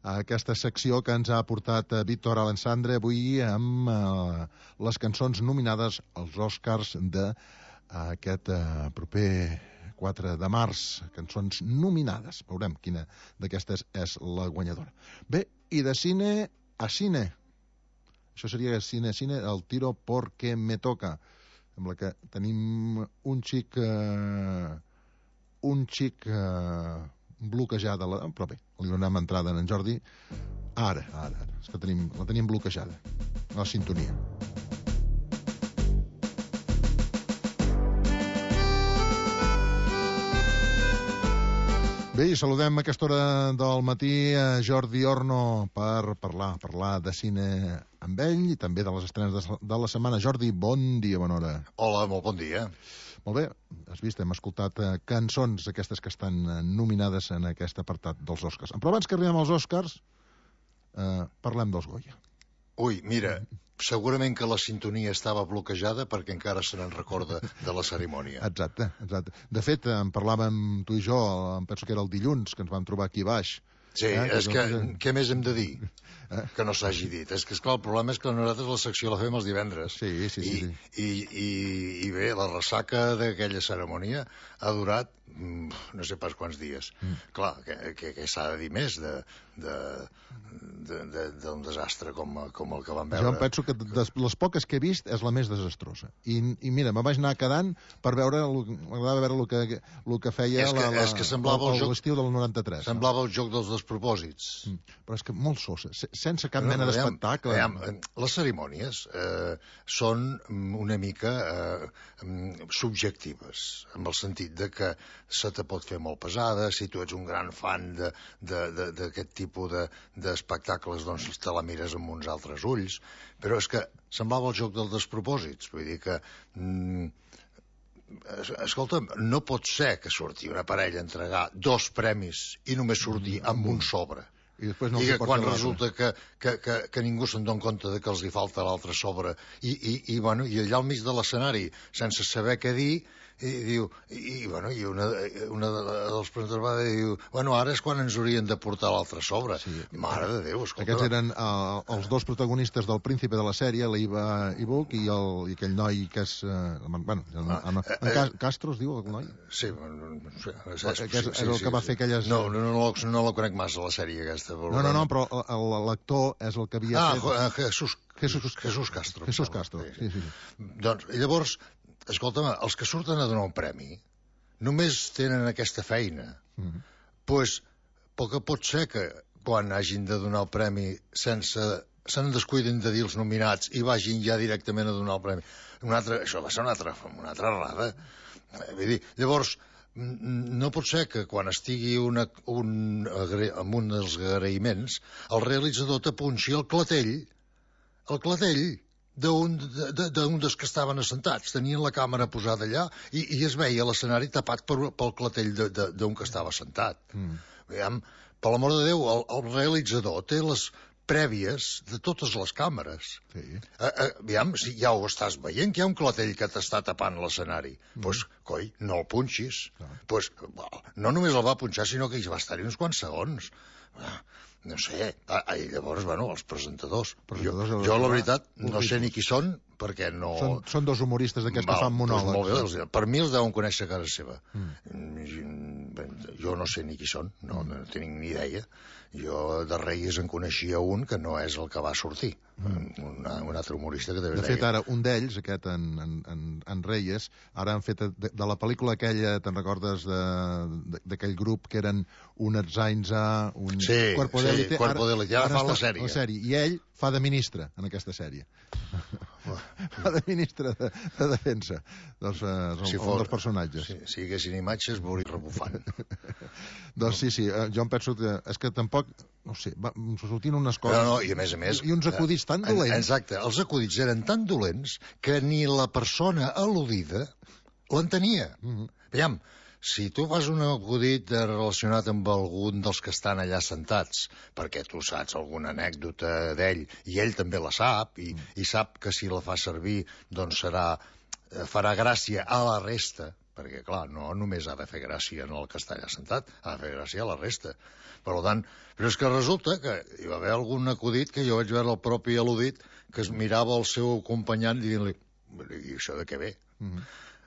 aquesta secció que ens ha portat Víctor Alessandre avui amb uh, les cançons nominades als Oscars d'aquest uh, proper quatre de març. Cançons nominades. Veurem quina d'aquestes és la guanyadora. Bé, i de cine a cine. Això seria cine a cine, el tiro porque me toca. Sembla que tenim un xic... Uh, un xic uh, bloquejada, la... però bé, li donem entrada en Jordi. Ara, ara, ara. És que tenim, la tenim bloquejada. La sintonia. Bé, i saludem a aquesta hora del matí a Jordi Orno per parlar, parlar de cine amb ell i també de les estrenes de, de la setmana. Jordi, bon dia, bona hora. Hola, molt bon dia. Molt bé, has vist, hem escoltat uh, cançons aquestes que estan uh, nominades en aquest apartat dels Oscars. Però abans que arribem als Oscars, uh, parlem dels Goya. Ui, mira, segurament que la sintonia estava bloquejada perquè encara se n'en recorda de la cerimònia. Exacte, exacte. De fet, en parlàvem tu i jo, em penso que era el dilluns, que ens vam trobar aquí baix. Sí, eh, és que, que, què més hem de dir eh? que no s'hagi dit? És que, esclar, el problema és que nosaltres la secció la fem els divendres. Sí, sí, sí. I, sí. i, i, i bé, la ressaca d'aquella cerimònia ha durat no sé pas quants dies. Mm. Clar, que, que, que s'ha de dir més de, de, de, de, d'un desastre com, com el que vam veure. Jo em penso que de les poques que he vist és la més desastrosa. I, i mira, me vaig anar quedant per veure, m'agradava veure el que, el que feia és que, la, la, és que semblava el, el joc, l'estiu del noranta-tres. Semblava no? el joc dels despropòsits. Mm. Però és que molt sosa, sense cap no, mena no, d'espectacle. Les cerimònies eh, són una mica eh, subjectives, en el sentit de que se te pot fer molt pesada, si tu ets un gran fan d'aquest tipus d'espectacles, doncs te la mires amb uns altres ulls, però és que semblava el joc dels despropòsits, vull dir que... Mm, escolta'm, no pot ser que surti una parella a entregar dos premis i només surti amb un sobre. I, no I que quan resulta que, que, que, que ningú se'n dona compte de que els hi falta l'altre sobre i, i, i, bueno, i allà al mig de l'escenari, sense saber què dir, i diu, i, bueno, i una, una dels presentadors va dir, diu, bueno, ara és quan ens haurien de portar l'altre sobre. Sí. Mare de Déu, escolta. Aquests eren uh, els dos protagonistes del Príncipe de la sèrie, l'Iva Ibuc i, el, i aquell noi que és... Uh, bueno, en, ah, en, en, en eh, Castro es diu, el noi? Sí, no, no sé. És, és, és, és el sí, que va sí. fer aquelles... No, no, no, no, no la conec massa, la sèrie aquesta. No, no, no, però l'actor és el que havia ah, fet... Ah, Jesús, Jesús, Jesús Castro. Jesús Castro, sí, sí. sí. Doncs, llavors... Escolta'm, els que surten a donar un premi només tenen aquesta feina. Mm -hmm. Pues, poc pot ser que quan hagin de donar el premi sense... se'n descuiden de dir els nominats i vagin ja directament a donar el premi. Una altra, això va ser una altra, una altra errada. Vull dir, llavors, no pot ser que quan estigui una, un, amb un dels agraïments el realitzador t'apunxi el clatell, el clatell, d'un de, de, dels que estaven assentats. Tenien la càmera posada allà i, i es veia l'escenari tapat per, pel clatell d'un que estava assentat. Mm. Veiem, per l'amor de Déu, el, el realitzador té les prèvies de totes les càmeres. Sí. Eh, eh, veiem, si ja ho estàs veient, que hi ha un clatell que t'està tapant l'escenari. Doncs, mm. pues, coi, no el punxis. Ah. Pues, no només el va punxar, sinó que hi va estar-hi uns quants segons. Ah. No sé, i llavors, bueno, els presentadors. presentadors jo, jo, la veritat, no sé ni qui són, perquè no... Són, són dos humoristes d'aquests que fan monòlegs. Doncs molt bé, per mi els deuen conèixer a casa seva. Mm. Jo no sé ni qui són, no, no tinc ni idea. Jo de Reyes en coneixia un que no és el que va sortir. Mm. Una, un altre humorista que de veritat... De fet, ara, un d'ells, aquest, en, en, en Reyes, ara han fet de, de la pel·lícula aquella, te'n recordes, d'aquell grup que eren un Erzainza, un sí, Cuerpo sí, d'Elite, Cuerpo d'Elite, ara, ara fa la sèrie. la sèrie. I ell fa de ministre en aquesta sèrie. Fa de ministre de, de defensa dels, uh, si fos, dels personatges. Si, si haguessin imatges, veuria rebufant. Doncs sí, sí, jo em penso que és que tampoc, no sé, va, sortint unes coses... No, no, i a més a més... I uns acudits tan dolents. Exacte, els acudits eren tan dolents que ni la persona al·ludida l'entenia. Mm -hmm. Veiem, si tu fas un acudit relacionat amb algun dels que estan allà sentats, perquè tu saps alguna anècdota d'ell, i ell també la sap, i, mm. i sap que si la fa servir, doncs serà, farà gràcia a la resta, perquè, clar, no només ha de fer gràcia en el que està allà sentat, ha de fer gràcia a la resta. Per tant, però és que resulta que hi va haver algun acudit que jo vaig veure el propi al·ludit que es mirava el seu acompanyant dient-li, i això de què ve? Mm-hmm.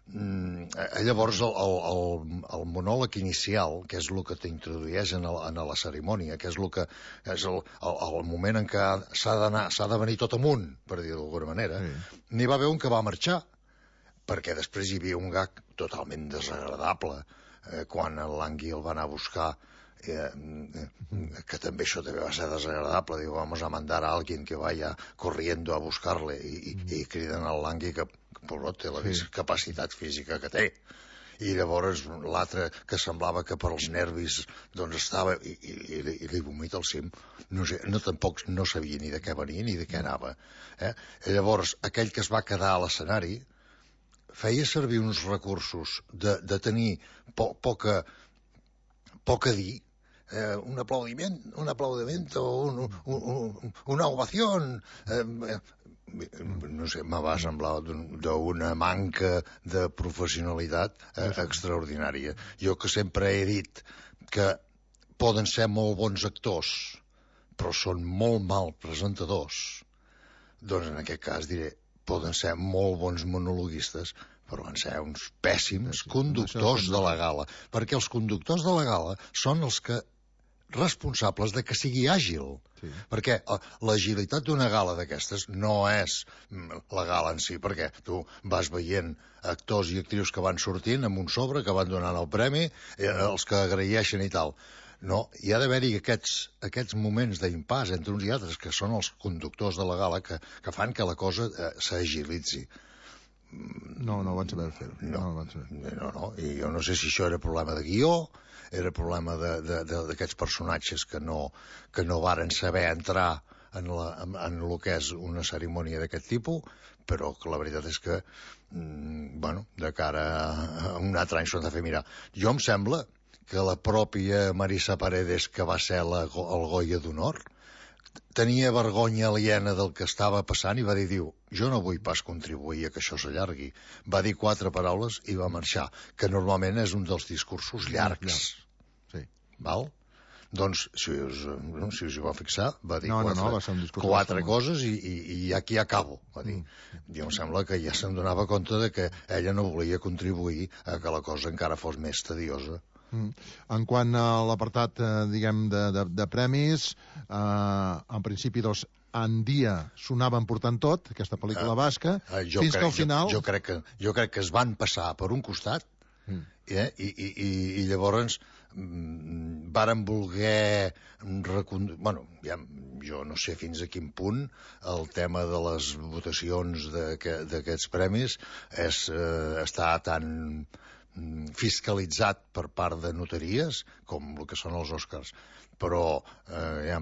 Mm, llavors el, el, el monòleg inicial, que és el que t'introdueix en, el, en la cerimònia, que és el que és el, el, el moment en què s'ha d'anar, s'ha de venir tot amunt, per dir d'alguna manera, sí. N'hi va haver un que va marxar, perquè després hi havia un gag totalment desagradable, eh, quan el Langui el va anar a buscar, eh, que també això també va ser desagradable, diu, vamos a mandar a alguien que vaya corriendo a buscarle, i, i, i criden al Langui que però té la sí. capacitat física que té. I llavors l'altre que semblava que per als nervis doncs estava i, i, i li vomita al cim. No sé, no, tampoc no sabia ni de què venia ni de què anava. Eh? I llavors aquell que es va quedar a l'escenari feia servir uns recursos de, de tenir po, poca, poc a dir, eh, un aplaudiment, un aplaudiment o un, un, un, una ovació... Eh, no sé, me va semblar d'una manca de professionalitat eh, extraordinària. Jo que sempre he dit que poden ser molt bons actors, però són molt mal presentadors, doncs en aquest cas diré, poden ser molt bons monologuistes, però van ser uns pèssims conductors de la gala, perquè els conductors de la gala són els que responsables de que sigui àgil, sí. Perquè l'agilitat d'una gala d'aquestes no és la gala en si, perquè tu vas veient actors i actrius que van sortint amb un sobre, que van donant el premi, eh, els que agraeixen i tal. No, hi ha d'haver-hi aquests, aquests moments d'impàs entre uns i altres, que són els conductors de la gala, que, que fan que la cosa eh, s'agilitzi. No, no van saber fer-ho. No, no, van saber. no, no, i jo no sé si això era problema de guió, era problema d'aquests personatges que no, que no varen saber entrar en, la, en, en el que és una cerimònia d'aquest tipus, però que la veritat és que, mm, bueno, de cara a un altre any s'ho han de fer mirar. Jo em sembla que la pròpia Marisa Paredes, que va ser la, el Goya d'Honor, tenia vergonya aliena del que estava passant i va dir, diu, jo no vull pas contribuir a que això s'allargui. Va dir quatre paraules i va marxar, que normalment és un dels discursos llargs. Sí. Val? Doncs, si us, no, si us hi va fixar, va dir no, quatre, no, no, va ser un discurs quatre coses i, i, i aquí acabo, va dir. Mm. Jo em sembla que ja se'n donava compte de que ella no volia contribuir a que la cosa encara fos més tediosa. Mm. En quant a l'apartat, eh, diguem, de, de, de premis, eh, en principi, doncs, en dia s'onaven portant tot, aquesta pel·lícula uh, basca, uh, fins crec, que al final... Jo, jo, crec que, jo crec que es van passar per un costat, mm. eh, i, i, i, i llavors mm, varen voler... Recond... Bueno, ja, jo no sé fins a quin punt el tema de les votacions d'aquests premis és, eh, està tan fiscalitzat per part de notaries com el que són els Oscars, però eh, ja,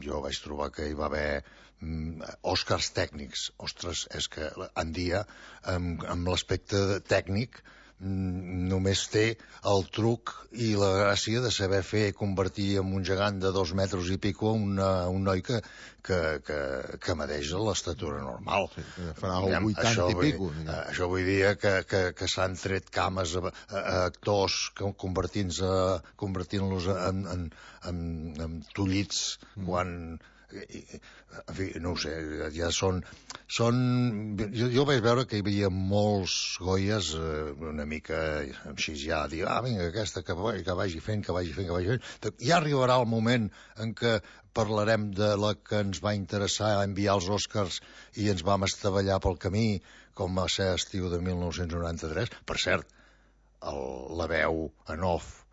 jo vaig trobar que hi va haver mm, Oscars tècnics. Ostres, és que en dia amb, amb l'aspecte tècnic mm, només té el truc i la gràcia de saber fer convertir en un gegant de dos metres i pico una, un noi que, que, que, que medeix l'estatura normal. Sí, farà el vuitanta i pico. Uh, això vull dir que, que, que s'han tret cames a, a, a actors convertint-los convertint en, en, en, en tullits mm. quan... En fi, no ho sé, ja són... són jo, jo vaig veure que hi havia molts Goyes eh, una mica així ja, dir, ah, vinga, aquesta que, que vagi fent, que vagi fent, que vagi fent. Ja arribarà el moment en què parlarem de la que ens va interessar enviar els Oscars i ens vam estavellar pel camí, com va ser estiu de mil nou-cents noranta-tres. Per cert, el, la veu en off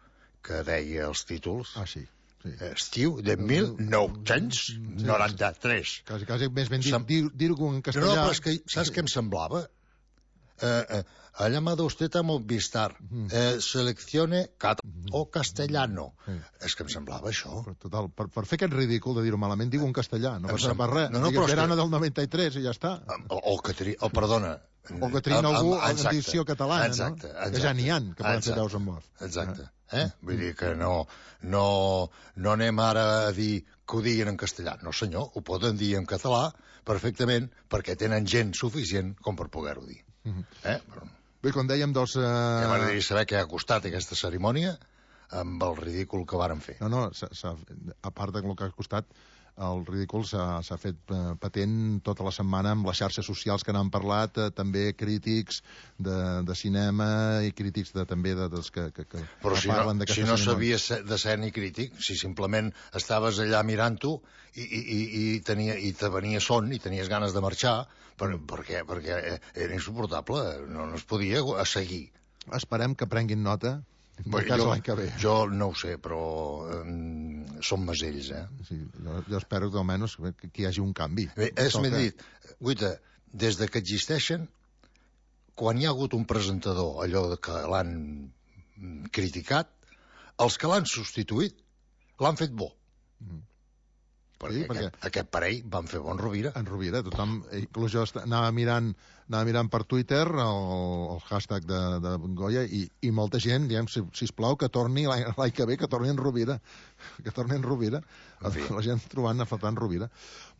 que deia els títols... Ah, sí. Sí. Estiu de mil nou-cents noranta-tres. Quasi, quasi més ben dit, Sem... dir-ho en castellà... No, però és que, saps què em semblava? Eh, eh, ha llamado usted a Movistar. Eh, seleccione cat o castellano. Sí. És que em semblava això. Total, per, per fer aquest ridícul de dir-ho malament, digue-ho en castellà. No passa sem... per res. No, no, Digues verano que... del noranta-tres i ja està. O, o que tri... o, perdona... O que trini algú a l'edició catalana, exacte, no? Exacte. Que ja n'hi ha, que poden fer veus en off. Exacte. Eh? Vull dir que no, no, no anem ara a dir que ho diguin en castellà. No, senyor, ho poden dir en català perfectament perquè tenen gent suficient com per poder-ho dir. Uh-huh. Eh? Però... Bé, com dèiem, doncs... Uh... Ja m'agradaria saber què ha costat aquesta cerimònia amb el ridícul que varen fer. No, no, s ha, s ha, a part del que ha costat, el ridícul s'ha fet eh, patent tota la setmana amb les xarxes socials que n'han parlat, eh, també crítics de, de cinema i crítics de, també de, dels que, que, que Però si parlen no, d'aquesta si no cerimònia. sabies de ser ni crític, si simplement estaves allà mirant-ho i, i, i, i, tenia, i te venia son i tenies ganes de marxar, per, perquè, perquè era insuportable, no, no es podia seguir. Esperem que prenguin nota. Bé, jo, jo no ho sé, però um, són masells, eh? Sí, jo, jo espero que almenys que, que hi hagi un canvi. Bé, és més dit, guaita, des de que existeixen, quan hi ha hagut un presentador, allò que l'han criticat, els que l'han substituït l'han fet bo. Mm. Perquè, sí, perquè aquest, aquest parell van fer bon Rovira. En Rovira, tothom, inclús jo anava mirant, anava mirant per Twitter el, el hashtag de, de Goya i, i molta gent, diem, si, sisplau, que torni l'any que ve, que torni en Rovira, que torni en Rovira, en la gent trobant a faltar en Rovira.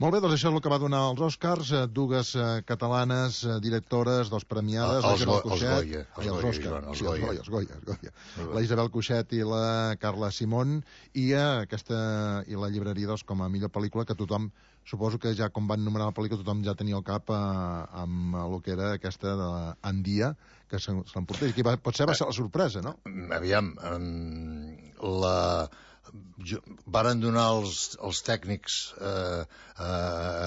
Molt bé, doncs això és el que va donar els Oscars, dues eh, catalanes eh, directores, dos premiades, el, la Isabel go, Cuixet... Els Goya, els els Goya, Oscar, els sí, Goya. Els Goya, els Goya, els Goya. La Isabel Cuixet i la Carla Simón i eh, aquesta i la llibreria doncs, com a millor pel·lícula, que tothom, suposo que ja com van nomenar la pel·lícula, tothom ja tenia el cap eh, amb el que era aquesta d'Andia, que se l'emportés, i que va, potser va ser la sorpresa, no? Aviam, um, la... Jo, varen donar els, els tècnics eh, a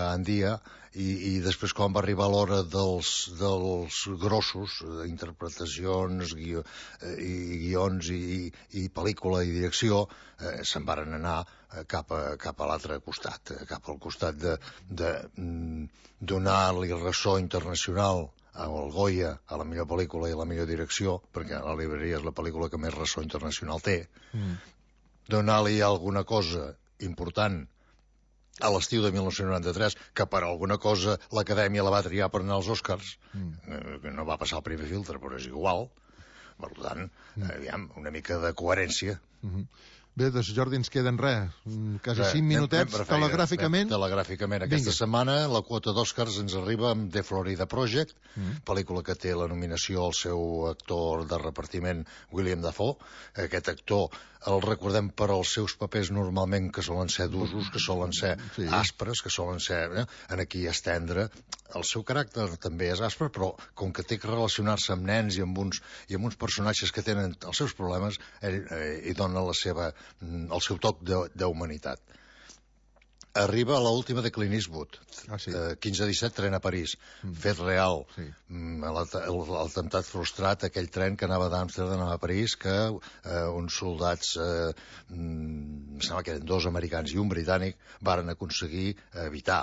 Andia i, i després quan va arribar l'hora dels, dels grossos, interpretacions, guió, eh, i guions i, i pel·lícula i direcció, eh, se'n varen anar cap a, cap a l'altre costat, cap al costat de, de mm, donar-li ressò internacional el Goya a la millor pel·lícula i la millor direcció, perquè La Libreria és la pel·lícula que més ressò internacional té, mm. donar-li alguna cosa important a l'estiu de mil nou-cents noranta-tres, que per alguna cosa l'Acadèmia la va triar per anar als Oscars, mm. que no va passar el primer filtre, però és igual. Per tant, mm. aviam, una mica de coherència. Mm-hmm. Bé, doncs, Jordi, ens queden res, quasi cinc minutets, telegràficament. Telegràficament. Aquesta setmana la quota d'Oscars ens arriba amb The Florida Project, mm. pel·lícula que té la nominació al seu actor de repartiment, William Dafoe. Aquest actor el recordem per als seus papers normalment que solen ser d'usos, que solen ser sí. aspres, que solen ser... Eh? En aquí és tendre. El seu caràcter també és aspre, però com que té que relacionar-se amb nens i amb uns, i amb uns personatges que tenen els seus problemes, ell eh, hi dona la seva, el seu toc d'humanitat. Arriba a l'última de Clint Eastwood, ah, sí. eh, quinze disset, tren a París, mm. fet real, sí. l'atemptat frustrat, aquell tren que anava d'Amsterdam a París, que eh, uns soldats, eh, em sembla que eren dos americans i un britànic, varen aconseguir evitar.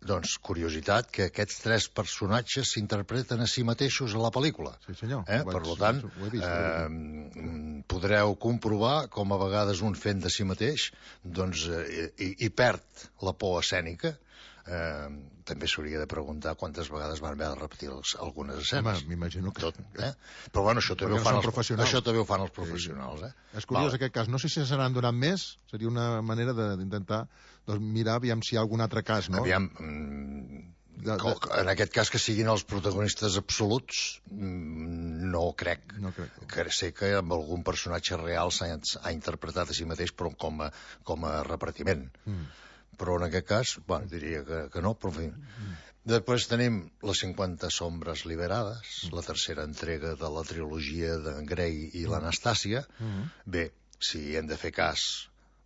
Doncs, curiositat, que aquests tres personatges s'interpreten a si mateixos a la pel·lícula. Sí, senyor. Eh? Per tant, vist, eh, podreu comprovar com a vegades un fent de si mateix doncs, eh, i, i perd la por escènica. Eh, també s'hauria de preguntar quantes vegades van haver de repetir els, algunes escenes. M'imagino que... Tot, eh? Però bueno, això també, ho fan els, això també ho fan els professionals. Eh? És curiós vale. Aquest cas. No sé si se n'han donat més, seria una manera d'intentar doncs, mirar aviam si hi ha algun altre cas, no? Aviam, mm, de, de... en aquest cas que siguin els protagonistes absoluts, mm, no crec. No crec. Que sé que amb algun personatge real s'ha interpretat a si mateix, però com a, com a repartiment. Mm. Però en aquest cas, bueno, diria que, que no, però en fi. Mm. Després tenim les cinquanta sombres liberades, mm. la tercera entrega de la trilogia de Grey i mm. l'Anastàcia. Mm. Bé, si hem de fer cas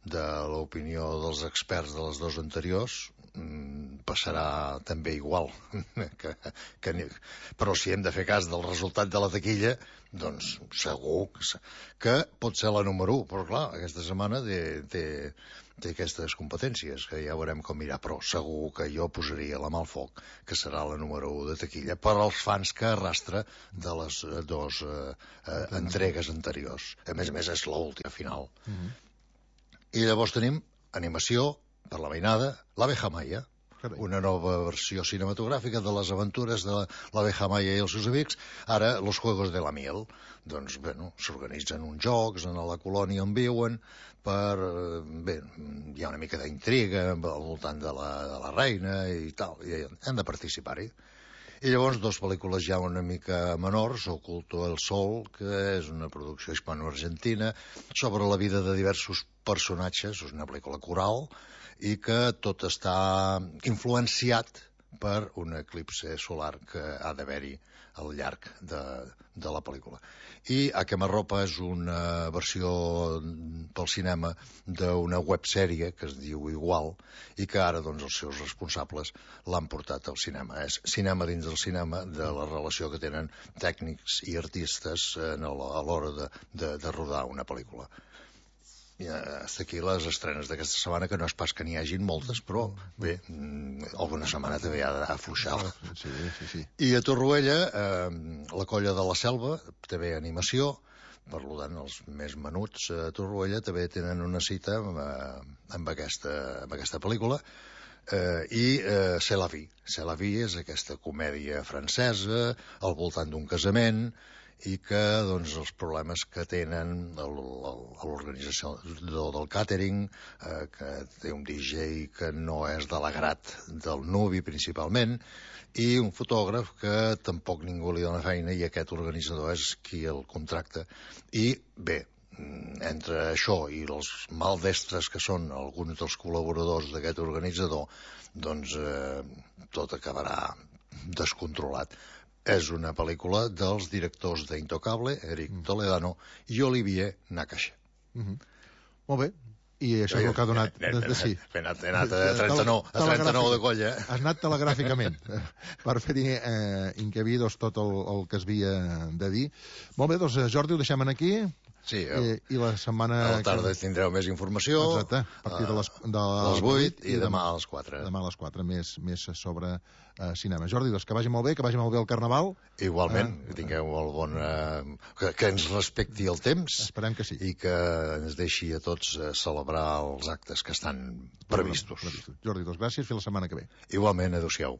de l'opinió dels experts de les dues anteriors, mmm, passarà també igual. que, que, però si hem de fer cas del resultat de la taquilla, doncs segur que, que pot ser la número u. Però clar, aquesta setmana té, té, té aquestes competències, que ja veurem com irà, però segur que jo posaria la mà al foc, que serà la número u de taquilla, per als fans que arrastra de les dues eh, eh, entregues anteriors. A més a més, és l'última final. Mm-hmm. I llavors tenim animació per la mainada, l'Abeja Maya, una nova versió cinematogràfica de les aventures de l'Abeja Maya i els seus amics, ara Los Juegos de la Miel. Doncs, bueno, s'organitzen uns jocs en la colònia on viuen per... Bé, hi ha una mica d'intriga al voltant de la, de la reina i tal, i hem de participar-hi. I llavors dos pel·lícules ja una mica menors, Oculto el Sol, que és una producció hispano-argentina, sobre la vida de diversos personatges, és una pel·lícula coral, i que tot està influenciat per un eclipse solar que ha d'haver-hi al llarg de, de la pel·lícula. I A Quemarropa és una versió pel cinema d'una websèrie que es diu igual i que ara doncs, els seus responsables l'han portat al cinema. És cinema dins del cinema de la relació que tenen tècnics i artistes en el, a l'hora de, de, de rodar una pel·lícula. I hasta aquí les estrenes d'aquesta setmana, que no és pas que n'hi hagin moltes, però bé, alguna setmana també ha d'afluixar. Sí, sí, sí. I a Torroella, eh, la Colla de la Selva, també animació, per tant, els més menuts a Torroella també tenen una cita amb, amb, aquesta, amb aquesta pel·lícula, eh, i eh, C'est la vie. C'est la vie és aquesta comèdia francesa al voltant d'un casament, i que doncs, els problemes que tenen l'organització del càtering, eh, que té un D J que no és de l'agrat del nuvi principalment, i un fotògraf que tampoc ningú li dona feina i aquest organitzador és qui el contracta. I bé, entre això i els maldestres que són alguns dels col·laboradors d'aquest organitzador, doncs eh, tot acabarà descontrolat. És una pel·lícula dels directors d'Intocable, Eric mm. Toledano i Olivier Nakache. Mm -hmm. Molt bé. I això és el que ha donat... He anat, he anat a trenta-nou de colla. Has anat telegràficament per fer-hi eh, incabidos tot el, el que es havia de dir. Molt bé, doncs Jordi, ho deixem aquí. Sí, eh, i la setmana... A la tarda que... tindreu més informació. Exacte, a partir de les, de les vuit i demà a les quatre. Demà a les quatre, més, més sobre uh, cinema. Jordi, doncs que vagi molt bé, que vagi molt bé el Carnaval. Igualment, uh, que tingueu el bon... Uh, que, que ens respecti el temps. Esperem que sí. I que ens deixi a tots uh, celebrar els actes que estan previstos. previstos. Jordi, doncs gràcies, fins la setmana que ve. Igualment, adéu-siau.